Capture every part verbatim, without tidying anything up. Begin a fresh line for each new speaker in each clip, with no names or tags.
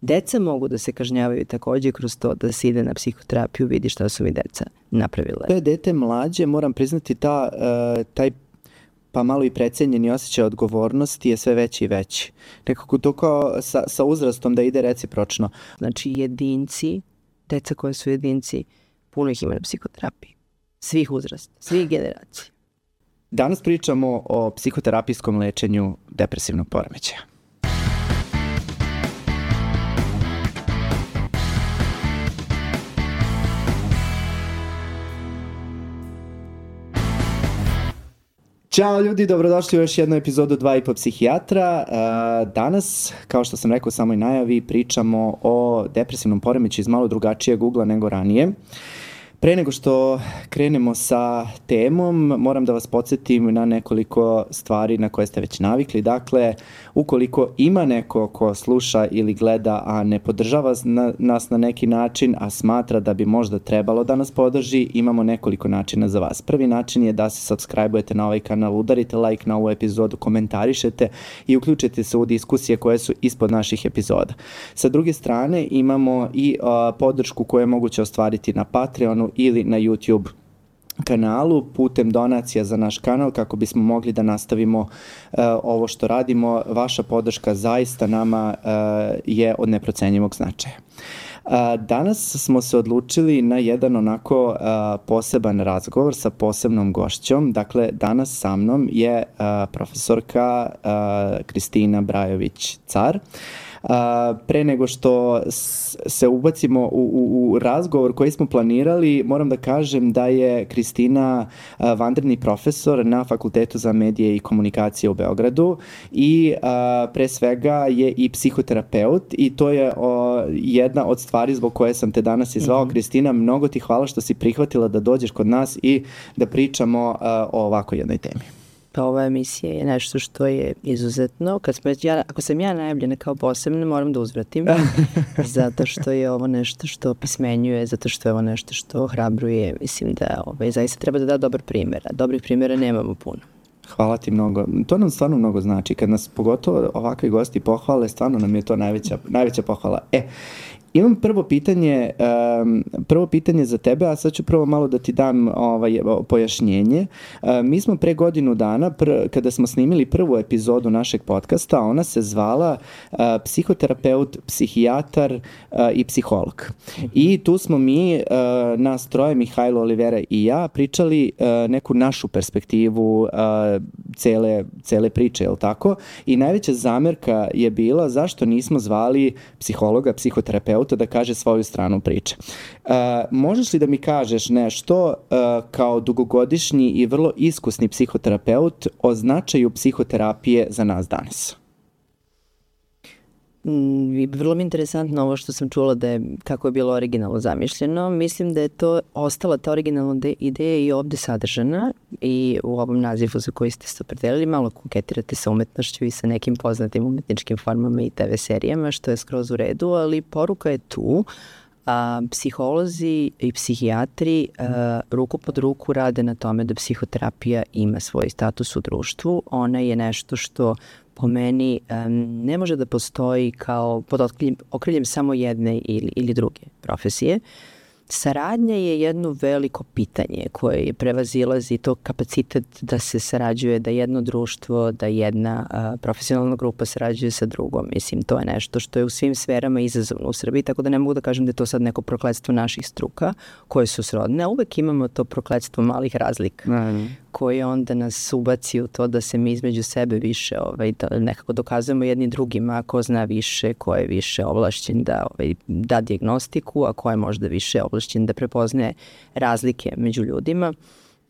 Deca mogu da se kažnjavaju takođe kroz to da se ide na psihoterapiju, vidi šta su mi deca napravile.
To je dete mlađe, moram priznati, ta, uh, taj pa malo i precenjeni osjećaj odgovornosti je sve veći i veći. Nekako to kao sa, sa uzrastom da ide recipročno.
Znači jedinci, deca koje su jedinci, puno ih ima na psihoterapiji. Svih uzrasta, svih generacija.
Danas pričamo o psihoterapijskom lečenju depresivnog poremećaja. Ćao ljudi, dobrodošli u još jednu epizodu Dva i po psihijatra. Danas, kao što sam rekao u samoj najavi, pričamo o depresivnom poremećaju iz malo drugačijeg ugla nego ranije. Pre nego što krenemo sa temom, moram da vas podsjetim na nekoliko stvari na koje ste već navikli. Dakle, ukoliko ima neko ko sluša ili gleda, a ne podržava na, nas na neki način, a smatra da bi možda trebalo da nas podrži, imamo nekoliko načina za vas. Prvi način je da se subscribe-ujete na ovaj kanal, udarite like na ovu epizodu, komentarišete i uključite se u diskusije koje su ispod naših epizoda. Sa druge strane, imamo i uh, podršku koju je moguće ostvariti na Patreonu ili na YouTube kanalu putem donacija za naš kanal kako bismo mogli da nastavimo uh, ovo što radimo. Vaša podrška zaista nama uh, je od neprocenjivog značaja. Uh, danas smo se odlučili na jedan onako uh, poseban razgovor sa posebnom gošćom. Dakle, danas sa mnom je uh, profesorka uh, Kristina Brajović-Car. Uh, pre nego što se ubacimo u, u, u razgovor koji smo planirali, moram da kažem da je Kristina uh, vanredni profesor na Fakultetu za medije i komunikacije u Beogradu i uh, pre svega je i psihoterapeut i to je uh, jedna od stvari zbog koje sam te danas izvao. Mm-hmm. Kristina, mnogo ti hvala što si prihvatila da dođeš kod nas i da pričamo uh, o ovako jednoj temi.
Pa ova emisija je nešto što je izuzetno. Kad smo, ja, ako sam ja najavljena kao posebna, moram da uzvratim. Zato što je ovo nešto što pismenjuje, zato što je ovo nešto što hrabruje. Mislim da ovaj, zaista treba da da dobar primjer. A dobrih primjera nemamo puno.
Hvala ti mnogo. To nam stvarno mnogo znači. Kad nas pogotovo ovakvi gosti pohvale, stvarno nam je to najveća, najveća pohvala. E, imam prvo pitanje, um, prvo pitanje za tebe, a sad ću prvo malo da ti dam ovaj, pojašnjenje. Uh, mi smo pre godinu dana, pr, kada smo snimili prvu epizodu našeg podcasta, ona se zvala uh, psihoterapeut, psihijatar uh, i psiholog. Mm-hmm. I tu smo mi, uh, nas troje, Mihajlo, Olivera i ja, pričali uh, neku našu perspektivu uh, cele, cele priče, je li tako? I najveća zamerka je bila zašto nismo zvali psihologa, psihoterapeuta da kaže svoju stranu priče. Uh, možeš li da mi kažeš nešto uh, kao dugogodišnji i vrlo iskusni psihoterapeut o značaju psihoterapije za nas danas?
Mm, vrlo mi je interesantno ovo što sam čula da je, kako je bilo originalno zamišljeno. Mislim da je to ostala ta originalna de, ideja i ovde sadržana i u ovom nazivu za koji ste se opredelili malo koketirate sa umetnošću i sa nekim poznatim umetničkim formama i te ve serijama, što je skroz u redu, ali poruka je tu. A, psiholozi i psihijatri a, ruku pod ruku rade na tome da psihoterapija ima svoj status u društvu. Ona je nešto što po meni um, ne može da postoji kao pod okriljem, okriljem samo jedne ili, ili druge profesije. Saradnja je jedno veliko pitanje koje je prevazilazi to kapacitet da se sarađuje, da jedno društvo, da jedna a, profesionalna grupa sarađuje sa drugom. Mislim, to je nešto što je u svim sferama izazovno u Srbiji, tako da ne mogu da kažem da je to sad neko prokletstvo naših struka koje su srodne, a uvek imamo to prokletstvo malih razlika. Mm. koje onda nas ubaci u to da se mi između sebe više ovaj, da nekako dokazujemo jedni drugima ko zna više, ko je više ovlašćen da ovaj, da dijagnostiku, a ko je možda više ovlašćen da prepoznaje razlike među ljudima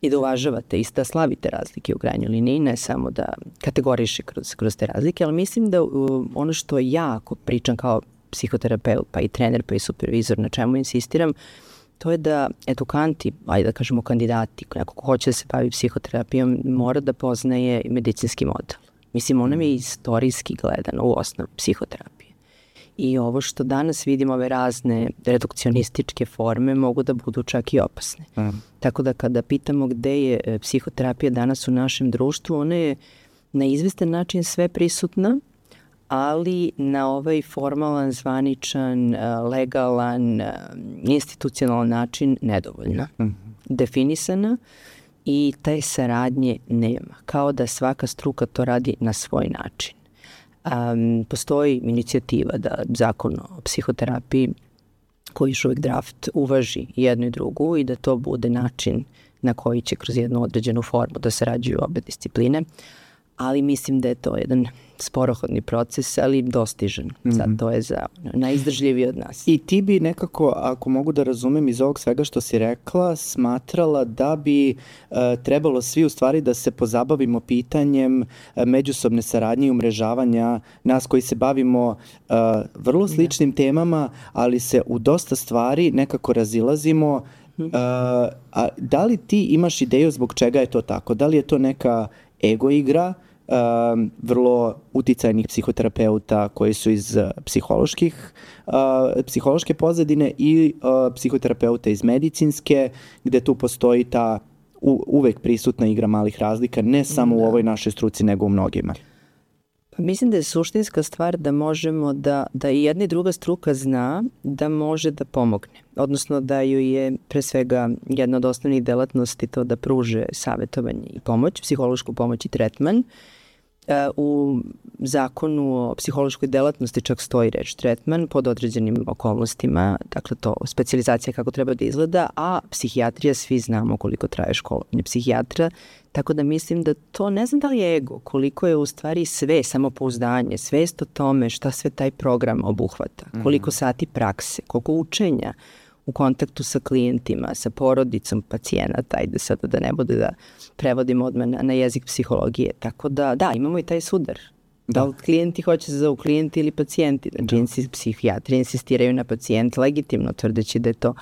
i da uvažavate i da slavite razlike u krajnjoj liniji, ne samo da kategoriše kroz, kroz te razlike, ali mislim da uh, ono što ja ako pričam kao psihoterapeut, pa i trener, pa i supervizor, na čemu insistiram, to je da edukanti, ajde da kažemo kandidati, neko ko hoće da se bavi psihoterapijom, mora da poznaje medicinski model. Mislim, on nam je istorijski gledano u osnovu psihoterapije. I ovo što danas vidimo, ove razne redukcionističke forme, mogu da budu čak i opasne. Mm. Tako da kada pitamo gde je psihoterapija danas u našem društvu, ona je na izvestan način sve prisutna, ali na ovaj formalan, zvaničan, legalan, institucionalan način nedovoljna. Mm-hmm. Definisana i te saradnje nema. Kao da svaka struka to radi na svoj način. Um, postoji inicijativa da zakon o psihoterapiji koji još uvijek draft uvaži jednu i drugu i da to bude način na koji će kroz jednu određenu formu da sarađuju obe discipline, ali mislim da je to jedan sporohodni proces, ali dostižan. Mm-hmm. Sad to je za najizdržljiviji od nas.
I ti bi nekako, ako mogu da razumem iz ovog svega što si rekla, smatrala da bi uh, trebalo svi u stvari da se pozabavimo pitanjem uh, međusobne saradnje i umrežavanja nas koji se bavimo uh, vrlo sličnim da. temama, ali se u dosta stvari nekako razilazimo. Uh, a da li ti imaš ideju zbog čega je to tako? Da li je to neka ego igra, uh, vrlo uticajnih psihoterapeuta koji su iz uh, psiholoških, uh, psihološke pozadine i uh, psihoterapeuta iz medicinske, gde tu postoji ta u, uvek prisutna igra malih razlika, ne samo da. u ovoj našoj struci, nego u mnogima?
Mislim da je suštinska stvar da možemo da, da i jedna i druga struka zna da može da pomogne. Odnosno da ju je pre svega jedna od osnovnih delatnosti to da pruže savjetovanje i pomoć, psihološku pomoć i tretman. U zakonu o psihološkoj delatnosti čak stoji reč tretman pod određenim okolnostima, dakle to specijalizacija kako treba da izgleda, a psihijatrija svi znamo koliko traje školovanje psihijatra, tako da mislim da to, ne znam da li je ego, koliko je u stvari sve, samopouzdanje, svest o tome šta sve taj program obuhvata, koliko sati prakse, koliko učenja u kontaktu sa klijentima, sa porodicom pacijenata, ajde sada da ne bude da prevodimo odmah na, na jezik psihologije. Tako da, da, imamo i taj sudar. Da, da li klijenti hoće se zovu klijenti ili pacijenti? Znači, da. Psihijatri insistiraju na pacijent legitimno, tvrdeći da je to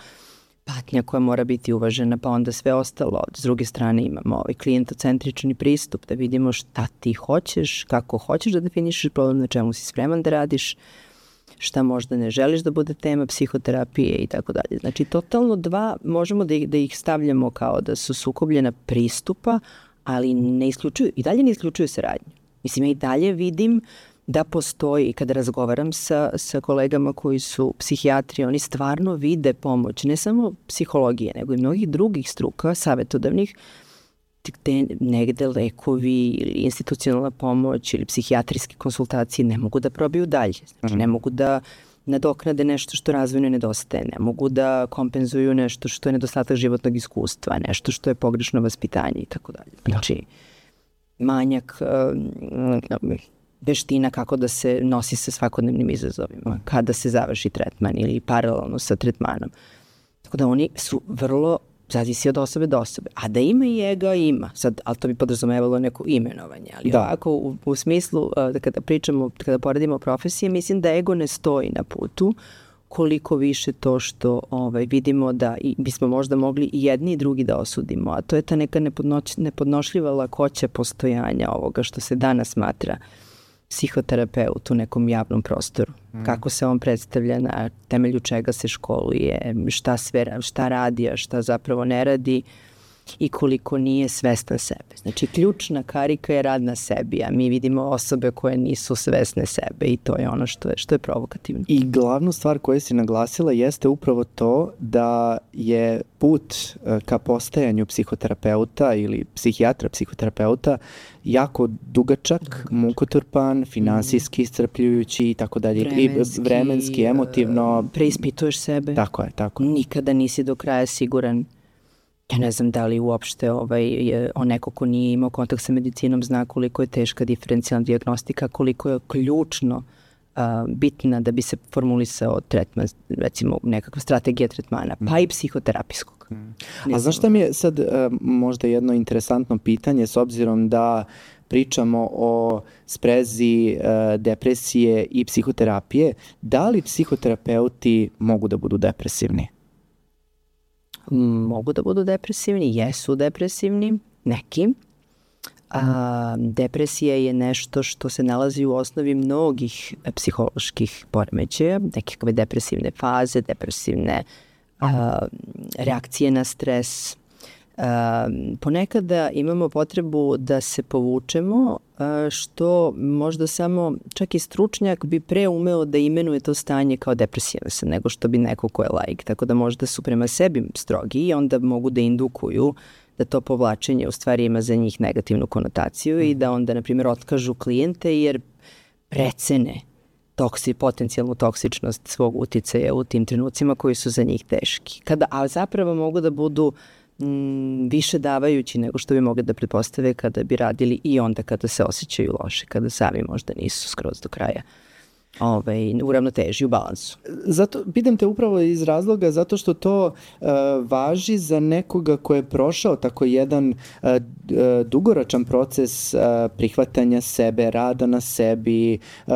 patnja koja mora biti uvažena, pa onda sve ostalo. S druge strane imamo ovaj klijentocentrični pristup, da vidimo šta ti hoćeš, kako hoćeš da definišeš problem, na čemu si spreman da radiš, šta možda ne želiš da bude tema psihoterapije i tako dalje. Znači, totalno dva, možemo da ih, da ih stavljamo kao da su sukobljena pristupa, ali ne isključuju, i dalje ne isključuju saradnju. Mislim, ja i dalje vidim da postoji, kada razgovaram sa, sa kolegama koji su psihijatri, oni stvarno vide pomoć, ne samo psihologije, nego i mnogih drugih struka, savjetodavnih, gde negde lekovi ili institucionalna pomoć ili psihijatrijske konsultacije ne mogu da probiju dalje. Znači, ne mogu da nadoknade nešto što razvojno nedostaje, ne mogu da kompenzuju nešto što je nedostatak životnog iskustva, nešto što je pogrešno vaspitanje i tako dalje. Znači, manjak uh, veština kako da se nosi sa svakodnevnim izazovima, kada se završi tretman ili paralelno sa tretmanom. Tako da oni su vrlo, zavisi od osobe do osobe. A da ima i ega, ima. Sad, ali to bi podrazumevalo neko imenovanje. Ali da. ovako, u, u smislu, da kada pričamo, kada poredimo profesije, mislim da ego ne stoji na putu, koliko više to što ovaj, vidimo da i bismo možda mogli i jedni i drugi da osudimo. A to je ta neka nepodnoć, nepodnošljiva lakoća postojanja ovoga što se danas smatra psihoterapeut u nekom javnom prostoru. Mm. Kako se on predstavlja, na temelju čega se školuje, šta sve, šta radi, a šta zapravo ne radi i koliko nije svestan sebe. Znači, ključna karika je rad na sebi, a mi vidimo osobe koje nisu svesne sebe i to je ono što je, što je provokativno.
I glavnu stvar koju si naglasila jeste upravo to da je put ka postajanju psihoterapeuta ili psihijatra, psihoterapeuta jako dugačak, dugačak. mukotrpan, finansijski iscrpljujući i tako dalje.
Vremenski,
I vremenski, emotivno.
Preispituješ sebe.
Tako je, tako je.
Nikada nisi do kraja siguran. Ja ne znam da li uopšte ovaj, je, on neko ko nije imao kontakt sa medicinom zna koliko je teška diferencijalna dijagnostika, koliko je ključno uh, bitna da bi se formulisao tretman, recimo nekakva strategija tretmana, pa i psihoterapijskog.
A znaš šta mi je sad uh, možda jedno interesantno pitanje, s obzirom da pričamo o sprezi uh, depresije i psihoterapije, da li psihoterapeuti mogu da budu depresivni?
Mogu da budu depresivni, jesu depresivni, neki. A, depresija je nešto što se nalazi u osnovi mnogih psiholoških poremećaja, nekakve depresivne faze, depresivne a, reakcije na stres, ponekada imamo potrebu da se povučemo, što možda samo čak i stručnjak bi pre umeo da imenuje to stanje kao depresivan sam nego što bi neko ko je laik. Tako da možda su prema sebi strogi i onda mogu da indukuju da to povlačenje u stvari ima za njih negativnu konotaciju i da onda, na primjer, otkažu klijente jer precene toksi, potencijalnu toksičnost svog uticaja u tim trenucima koji su za njih teški. Kada, a zapravo mogu da budu m, više davajući nego što bi mogli da pretpostave kada bi radili i onda kada se osjećaju loše, kada sami možda nisu skroz do kraja ovaj, u ravnoteži, u balansu.
Zato, pitam te upravo iz razloga zato što to uh, važi za nekoga ko je prošao tako jedan uh, dugoročan proces uh, prihvatanja sebe, rada na sebi, uh,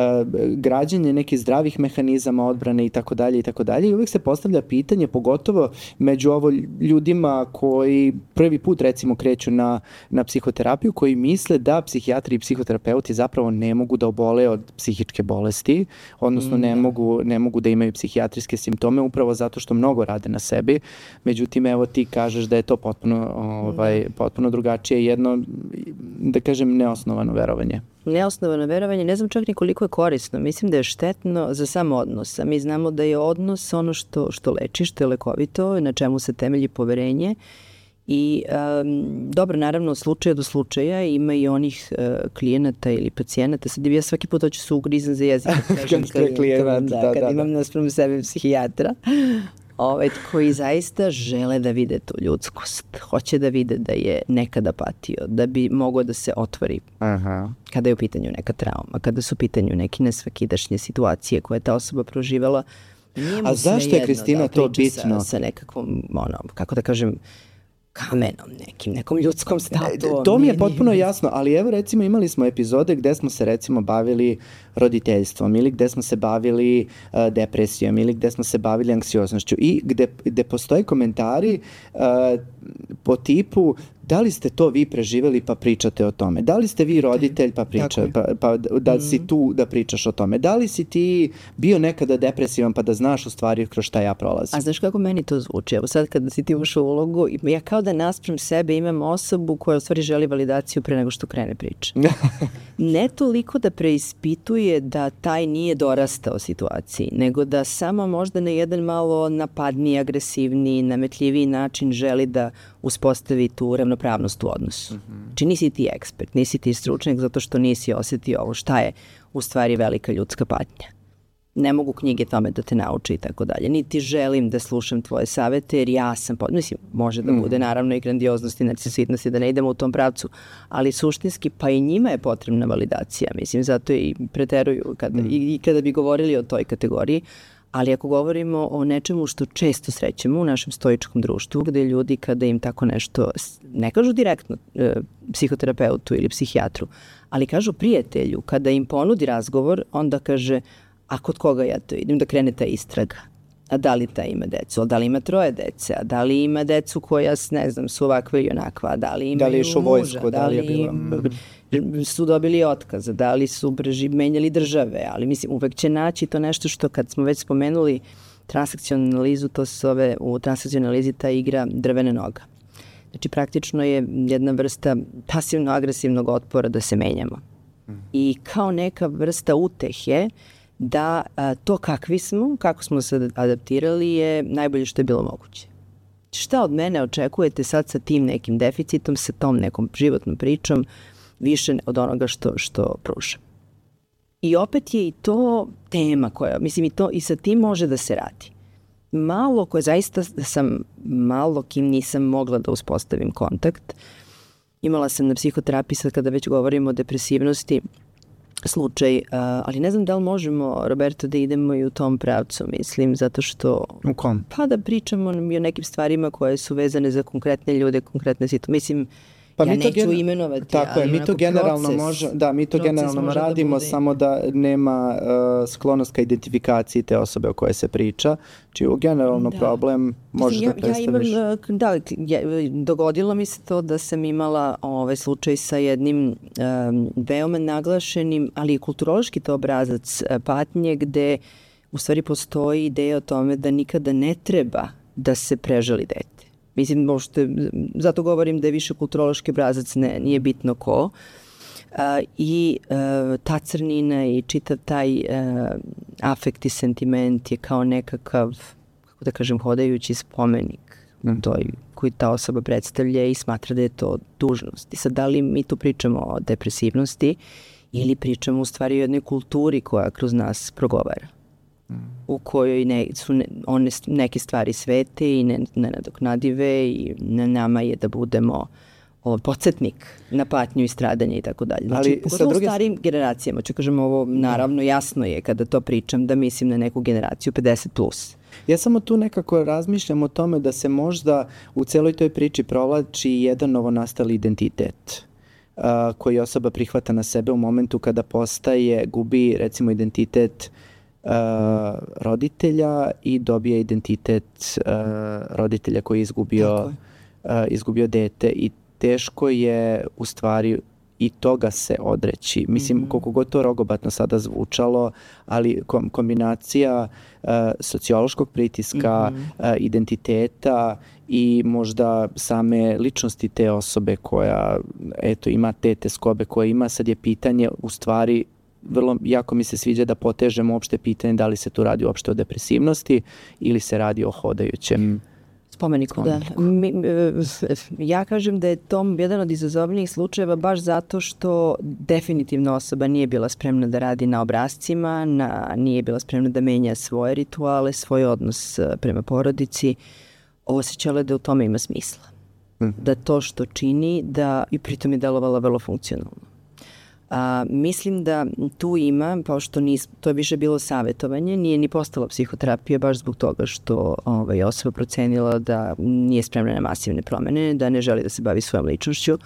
građenje nekih zdravih mehanizama odbrane i tako dalje i tako dalje. I uvijek se postavlja pitanje, pogotovo među ovo ljudima koji prvi put recimo kreću na, na psihoterapiju, koji misle da psihijatri i psihoterapeuti zapravo ne mogu da obole od psihičke bolesti, odnosno ne, mm, mogu, ne mogu da imaju psihijatrijske simptome upravo zato što mnogo rade na sebi. Međutim, evo ti kažeš da je to potpuno, ovaj, potpuno drugačije, jedno, da kažem, neosnovano verovanje.
Neosnovano verovanje, ne znam čak ni koliko je korisno. Mislim da je štetno za sam odnos. A mi znamo da je odnos ono što, što leči, što je lekovito, na čemu se temelji poverenje. I um, dobro, naravno, od slučaja do slučaja ima i onih uh, klijenata ili pacijenata. Sad ja svaki put hoću se ugrizam za jezik.
Kažem, kad kad, klijent,
da,
da,
kad
da,
imam
da.
naspram sebe psihijatra, ovaj, koji zaista žele da vide tu ljudskost. Hoće da vide da je nekada patio, da bi mogao da se otvori.
Aha.
Kada je u pitanju neka trauma, kada su u pitanju neke nesvakidašnje situacije koje je ta osoba proživala.
A zašto je, Kristina,
da
to bitno?
Sa, sa nekakvom, ono, kako da kažem, kamenom nekim, nekom ljudskom statuom.
To mi je potpuno jasno, ali evo recimo imali smo epizode gde smo se recimo bavili roditeljstvom ili gde smo se bavili uh, depresijom ili gde smo se bavili anksioznošću i gde, gde postoje komentari uh, po tipu da li ste to vi preživeli pa pričate o tome? Da li ste vi roditelj pa pričate, pa, pa da mm. si tu da pričaš o tome? Da li si ti bio nekada depresivan pa da znaš u stvari kroz šta ja prolazim?
A znaš kako meni to zvuči? Evo sad kada si ti ušao u ulogu, ja kao da naspram sebe imam osobu koja u stvari želi validaciju pre nego što krene priča. Ne toliko da preispituje da taj nije dorastao situaciji, nego da samo možda na jedan malo napadniji, agresivniji, nametljiviji način želi da uspostavi tu ravnopravnost u odnosu. Mm-hmm. Znači nisi ti ekspert, nisi ti stručnjak zato što nisi osjetio ovo šta je u stvari velika ljudska patnja. Ne mogu knjige tome da te nauče i tako dalje. Niti želim da slušam tvoje savete jer ja sam, pod... mislim, može da bude naravno i grandioznosti, narcisitnosti, da ne idemo u tom pravcu, ali suštinski pa i njima je potrebna validacija. Mislim, zato i preteruju kada, mm. i, i kada bi govorili o toj kategoriji. Ali ako govorimo o nečemu što često srećemo u našem stoičkom društvu, gde ljudi kada im tako nešto, ne kažu direktno e, psihoterapeutu ili psihijatru, ali kažu prijatelju, kada im ponudi razgovor, onda kaže, a kod koga ja to idem, da krene ta istraga. A da li ta ima decu, a da li ima troje dece, a da li ima decu koja, ne znam, su ovakva ili onakva, da li imaju
da li je išao vojsku,
da li je bila... su dobili otkaz, da li su preži, menjali države, ali mislim, uvek će naći to nešto što kad smo već spomenuli transakcionalnu analizu, to se zove u transakcionalnoj analizi ta igra drvene noga. Znači, praktično je jedna vrsta pasivno-agresivnog otpora da se menjamo. Mm. I kao neka vrsta utehe da a, to kakvi smo, kako smo se adaptirali je najbolje što je bilo moguće. Šta od mene očekujete sad sa tim nekim deficitom, sa tom nekom životnom pričom, više od onoga što, što pružam. I opet je i to tema koja, mislim, i, to, i sa tim može da se radi. Malo koje zaista sam, malo kim nisam mogla da uspostavim kontakt. Imala sam na psihoterapiji sad kada već govorimo o depresivnosti slučaj, uh, ali ne znam da li možemo, Roberto, da idemo i u tom pravcu, mislim, zato što...
U kom?
Pa da pričamo i o nekim stvarima koje su vezane za konkretne ljude, konkretne situacije. Mislim,
Pa
ja
mi to
neću
gen...
imenovati,
tako
ali
je, mi to generalno
proces,
može, da, mi to generalno radimo, da samo da nema uh, sklonost ka identifikaciji te osobe o kojoj se priča. Čiju generalno da. problem možeš
ja,
da predstaviš.
Ja imam, da, ja, dogodilo mi se to da sam imala ovaj slučaj sa jednim um, veoma naglašenim, ali i kulturološki to obrazac patnje gde u stvari postoji ideja o tome da nikada ne treba da se prežali dete. Mislim, možete, zato govorim da je više kulturološki obrazac, ne, nije bitno ko. Uh, I uh, ta crnina i čitav taj uh, afekt i sentiment je kao nekakav, kako da kažem, hodajući spomenik mm. toj, koji ta osoba predstavlja i smatra da je to dužnost. I sad, da li mi tu pričamo o depresivnosti ili pričamo u stvari o jednoj kulturi koja kroz nas progovara, mm. u kojoj ne, su ne, one neke stvari svete i ne, nenadoknadive i na nama je da budemo o, podsjetnik na patnju i stradanje i tako dalje. Znači, ali pogotovo druge... u starijim generacijama, ću kažem ovo, naravno jasno je kada to pričam da mislim na neku generaciju pedeset plus.
Ja samo tu nekako razmišljam o tome da se možda u celoj toj priči provlači jedan novonastali identitet uh, koji osoba prihvata na sebe u momentu kada postaje, gubi recimo identitet uh, roditelja i dobije identitet uh, roditelja koji je izgubio, uh, izgubio dete i teško je u stvari i toga se odreći. Mislim, mm-hmm. koliko god to rogobatno sada zvučalo, ali kom, kombinacija uh, sociološkog pritiska, mm-hmm. uh, identiteta i možda same ličnosti te osobe koja, eto, ima te teskobe koje ima, sad je pitanje u stvari vrlo, jako mi se sviđa da potežemo uopšte pitanje da li se tu radi uopšte o depresivnosti ili se radi o hodajućem
spomeniku, da. Mi, ja kažem da je to jedan od izazovnijih slučajeva baš zato što definitivno osoba nije bila spremna da radi na obrascima, na, nije bila spremna da menja svoje rituale, svoj odnos prema porodici. Osjećala da u tome ima smisla. Mm. Da to što čini, da i pritom je delovala vrlo funkcionalno. A, mislim da tu ima, kao što nis, to je više bilo savjetovanje, nije ni postala psihoterapija baš zbog toga što ovaj, osoba procenila da nije spremna na masivne promene, da ne želi da se bavi svojom ličnošću.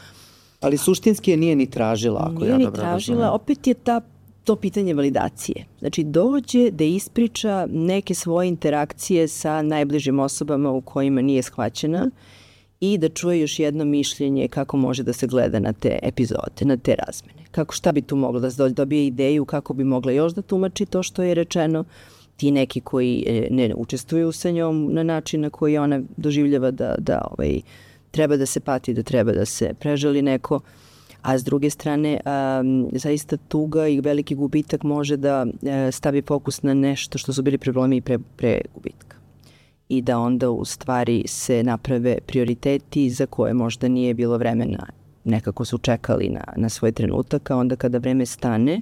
Ali suštinski je nije ni tražila, ako
nije
ja
ni
dobro
tražila,
razumijem.
Opet je ta, to pitanje validacije. Znači dođe da ispriča neke svoje interakcije sa najbližim osobama u kojima nije shvaćena i da čuje još jedno mišljenje kako može da se gleda na te epizode, na te razmene. Kako, šta bi tu moglo da se dobije ideju, kako bi mogla još da tumači to što je rečeno. Ti neki koji ne učestvuju sa njom na način na koji ona doživljava da, da ovaj, treba da se pati, da treba da se prežali neko. A s druge strane, um, zaista tuga i veliki gubitak može da uh, stavi fokus na nešto što su bili problemi pre, pre gubitka. I da onda u stvari se naprave prioriteti za koje možda nije bilo vremena. Nekako su čekali na, na svoj trenutak, a onda kada vreme stane,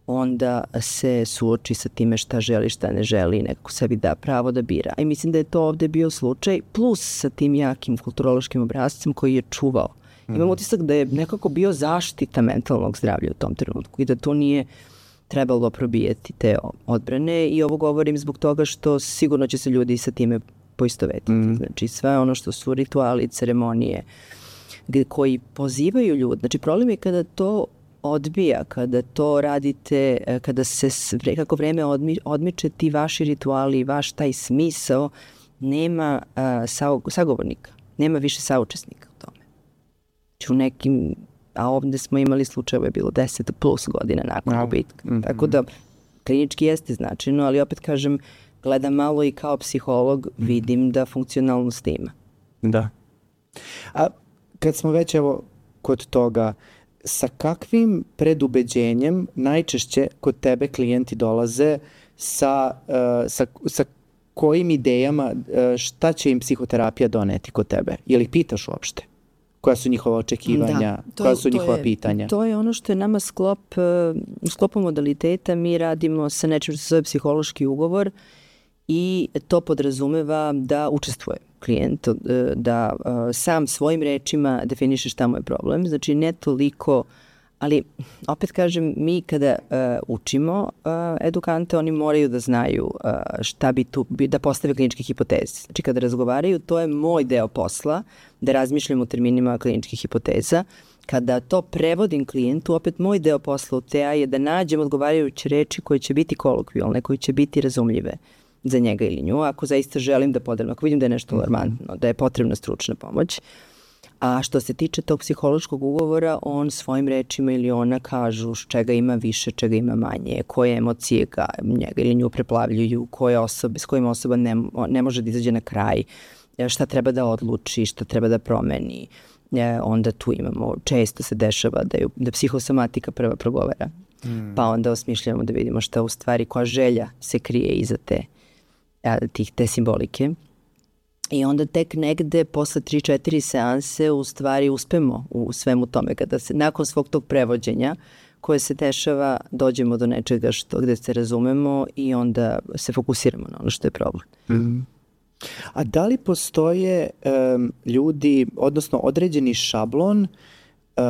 onda se suoči sa time šta želi, šta ne želi, nekako sebi da pravo da bira. I mislim da je to ovde bio slučaj, plus sa tim jakim kulturološkim obrazcem koji je čuvao. Imam utisak da je nekako bio zaštita mentalnog zdravlja u tom trenutku i da to nije trebalo probijeti te odbrane i ovo govorim zbog toga što sigurno će se ljudi sa time poistovetiti. Mm. Znači sve ono što su rituali, ceremonije koji pozivaju ljudi. Znači problem je kada to odbija, kada to radite, kada se kako vreme odmi, odmiče ti vaši rituali, vaš taj smisao, nema uh, sagovornika, nema više saučesnika u tome. Znači u nekim, a ovde smo imali slučajeve, bilo deset plus godina nakon gubitka. Mm-hmm. Tako da klinički jeste značajno, ali opet kažem, gledam malo i kao psiholog, vidim da funkcionalnost ima.
Da. A kad smo već evo kod toga, sa kakvim predubeđenjem najčešće kod tebe klijenti dolaze sa, uh, sa, sa kojim idejama, uh, šta će im psihoterapija doneti kod tebe? Je li pitaš uopšte? Koja su njihova očekivanja, da, koja su njihova
je,
pitanja?
To je ono što je nama sklop, u sklopu modaliteta mi radimo sa nečim što se zove psihološki ugovor i to podrazumeva da učestvuje klijent, da sam svojim rečima definiše šta mu je problem. Znači ne toliko, ali opet kažem, mi kada učimo edukante, oni moraju da znaju šta bi tu, da postave kliničke hipoteze. Znači kada razgovaraju, to je moj deo posla, da razmišljam u terminima kliničkih hipoteza. Kada to prevodim klijentu, opet moj deo posla u T A je da nađem odgovarajuće reči koje će biti kolokvijalne, koje će biti razumljive za njega ili nju, ako zaista želim da podrem, ako vidim da je nešto alarmantno, da je potrebna stručna pomoć. A što se tiče tog psihološkog ugovora, on svojim rečima ili ona kažu čega ima više, čega ima manje, koje emocije ga, njega ili nju preplavljuju, koje osobe, s kojim osoba ne, ne može da izađe na kraj šta treba da odluči, šta treba da promeni. E, onda tu imamo, često se dešava da, je, da psihosomatika prva progovara. Mm. Pa onda osmišljamo da vidimo šta u stvari, koja želja se krije iza te, tih, te simbolike. I onda tek negde posle tri četiri seanse u stvari uspemo u svemu tome. Kada se nakon svog tog prevođenja koje se dešava, dođemo do nečega što, gde se razumemo i onda se fokusiramo na ono što je problem.
Mm. A da li postoje um, ljudi, odnosno određeni šablon uh,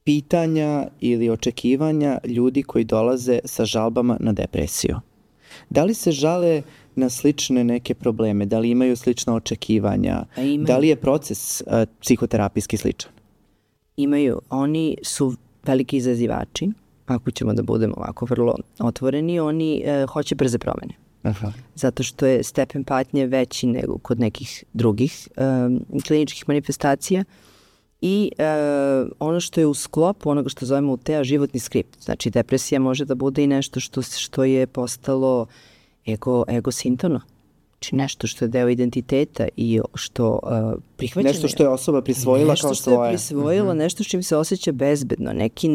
pitanja ili očekivanja ljudi koji dolaze sa žalbama na depresiju? Da li se žale na slične neke probleme? Da li imaju slična očekivanja? Da li je proces uh, psihoterapijski sličan?
Imaju. Oni su veliki izazivači, ako ćemo da budemo ovako vrlo otvoreni, oni uh, hoće brze promene. Aha. Zato što je stepen patnje veći nego kod nekih drugih um, kliničkih manifestacija i uh, ono što je u sklopu onoga što zovemo u te a životni skript. Znači depresija može da bude i nešto što, što je postalo ego, egosintono. Znači nešto što je deo identiteta i što uh, prihvaćeno.
Nešto što je osoba prisvojila kao svoje.
Nešto što je prisvojila, uh-huh. nešto s čim se osjeća bezbedno, neki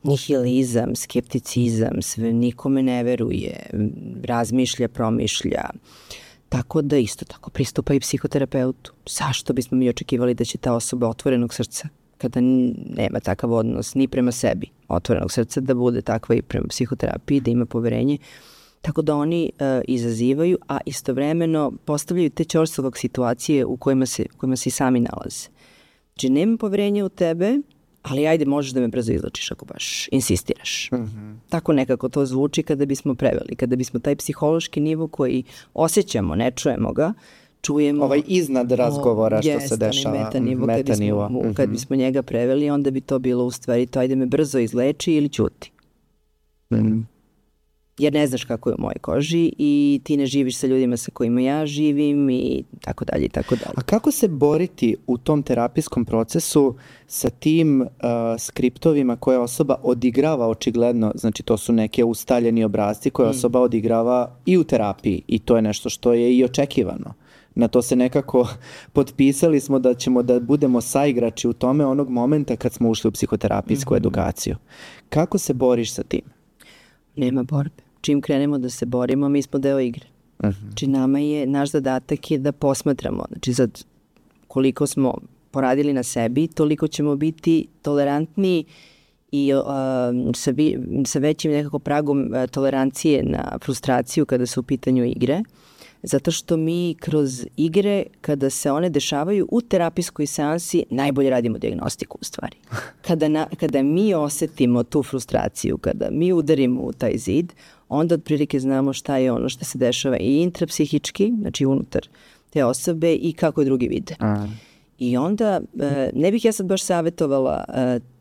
nihilizam, skepticizam, sve nikome ne veruje, razmišlja, promišlja. Tako da isto tako pristupa i psihoterapeutu. Zašto bismo mi očekivali da će ta osoba otvorenog srca, kada nema takav odnos ni prema sebi, otvorenog srca, da bude takva i prema psihoterapiji, da ima poverenje. Tako da oni uh, izazivaju, a istovremeno postavljaju te ćorsovog situacije u kojima se, u kojima se i sami nalaze. Znači, nema poverenja u tebe, ali ajde, možeš da me brzo izlačiš ako baš insistiraš. Mm-hmm. Tako nekako to zvuči kada bismo preveli, kada bismo taj psihološki nivo koji osjećamo, ne čujemo ga, čujemo...
Ovaj iznad razgovora o, što
jest,
se dešava.
Meta nivo, meta kad, bismo, mm-hmm. kad bismo njega preveli, onda bi to bilo u stvari to ajde me brzo izleči ili ćuti. Mm. Jer ne znaš kako je u mojoj koži i ti ne živiš sa ljudima sa kojima ja živim i tako dalje i tako dalje.
A kako se boriti u tom terapijskom procesu sa tim uh, skriptovima koje osoba odigrava očigledno, znači to su neke ustaljeni obrasci koje mm. osoba odigrava i u terapiji i to je nešto što je i očekivano. Na to se nekako potpisali smo da ćemo da budemo saigrači u tome onog momenta kad smo ušli u psihoterapijsku mm-hmm. edukaciju. Kako se boriš sa tim?
Nema borbe. Čim krenemo da se borimo, mi smo deo igre. Uh-huh. Znači nama je, naš zadatak je da posmatramo. Znači sad koliko smo poradili na sebi, toliko ćemo biti tolerantni i uh, sa, vi, sa većim nekako pragom uh, tolerancije na frustraciju kada su u pitanju igre. Zato što mi kroz igre, kada se one dešavaju u terapijskoj seansi, najbolje radimo dijagnostiku u stvari. Kada, na, kada mi osetimo tu frustraciju, kada mi udarimo u taj zid, onda otprilike znamo šta je ono što se dešava i intrapsihički, znači unutar te osobe i kako je drugi vide. A. I onda, ne bih ja sad baš savjetovala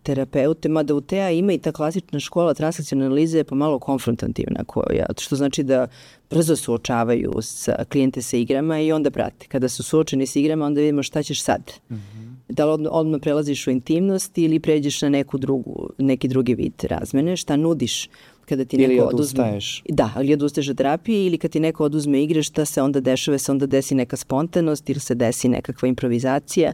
terapeute, mada u T A ima i ta klasična škola transakcionalne analize je pomalo konfrontativna, koja, što znači da brzo suočavaju sa klijente sa igrama i onda prate. Kada su suočeni sa igrama, onda vidimo šta ćeš sad. Mm-hmm. Da li odmah, odmah prelaziš u intimnost ili pređeš na neku drugu, neki drugi vid razmene, šta nudiš kada ti
ili
neko
odustaješ.
Oduzme, da, ali odustaješ od terapije ili kad ti neko oduzme igre, šta se onda dešava, se onda desi neka spontanost ili se desi nekakva improvizacija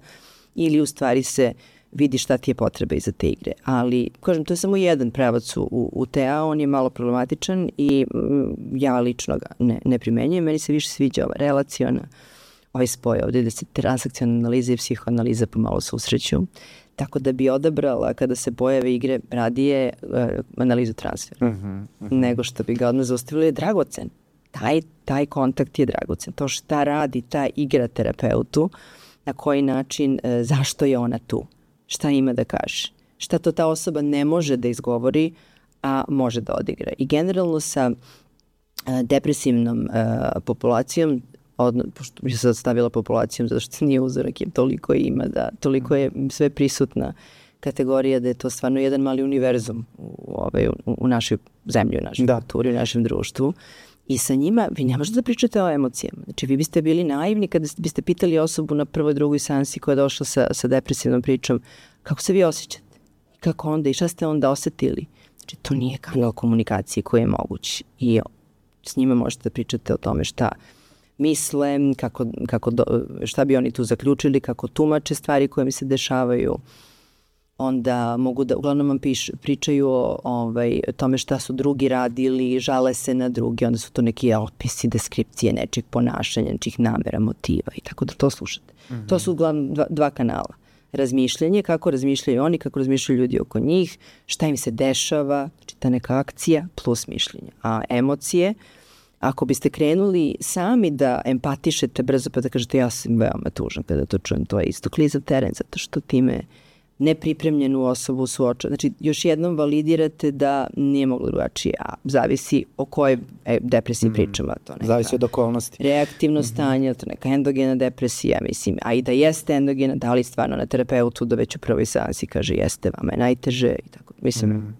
ili u stvari se vidi šta ti je potreba iza te igre. Ali, kažem, to je samo jedan pravac u, u T A, on je malo problematičan i mm, ja lično ga ne, ne primenjujem. Meni se više sviđa ova relaciona, ovaj spoj ovdje da se transakcionalna analiza i psihoanaliza pomalo susreću. Tako da bi odabrala kada se pojave igre radije uh, analizu transfera. Uh-huh, uh-huh. Nego što bi ga odmah zaustavili je dragocen. Taj, taj kontakt je dragocen. To šta radi ta igra terapeutu, na koji način, uh, zašto je ona tu, šta ima da kaže, šta to ta osoba ne može da izgovori, a može da odigra. I generalno sa uh, depresivnom uh, populacijom, odno, pošto bi se sad stavila populacijom zato što nije uzorak, jer toliko ima, da toliko je sve prisutna kategorija da je to stvarno jedan mali univerzum u, ovaj, u, u našoj zemlji, u našoj da. kulturi, u našem društvu. I sa njima vi ne možete da pričate o emocijama. Znači vi biste bili naivni kada biste pitali osobu na prvoj, drugoj seansi koja je došla sa, sa depresivnom pričom kako se vi osjećate, kako onda i šta ste onda osetili. Znači to nije kanal komunikacije koji je moguć i s njima možete da pričate o tome šta misle, kako, kako do, šta bi oni tu zaključili, kako tumače stvari koje mi se dešavaju. Onda mogu da, uglavnom vam piš, pričaju o ovaj, tome šta su drugi radili, žale se na druge, onda su to neki opisi, deskripcije nečeg ponašanja, nečih namera, motiva i tako da to slušate. Mm-hmm. To su uglavnom dva, dva kanala. Razmišljanje, kako razmišljaju oni, kako razmišljaju ljudi oko njih, šta im se dešava, znači ta neka akcija plus mišljenje. A emocije, ako biste krenuli sami da empatišete brzo pa da kažete ja sam veoma tužan kada to čujem, to je isto klizav teren zato što time nepripremljenu osobu suoča. Znači, još jednom validirate da nije moglo drugačije, a zavisi o kojoj e, depresiji mm. pričamo. To neka
zavisi od okolnosti.
Reaktivno stanje, to neka endogena depresija, mislim, a i da jeste endogena, da li stvarno na terapeutu da već u prvoj seansi kaže jeste, vama je najteže i tako. Mislim, mm.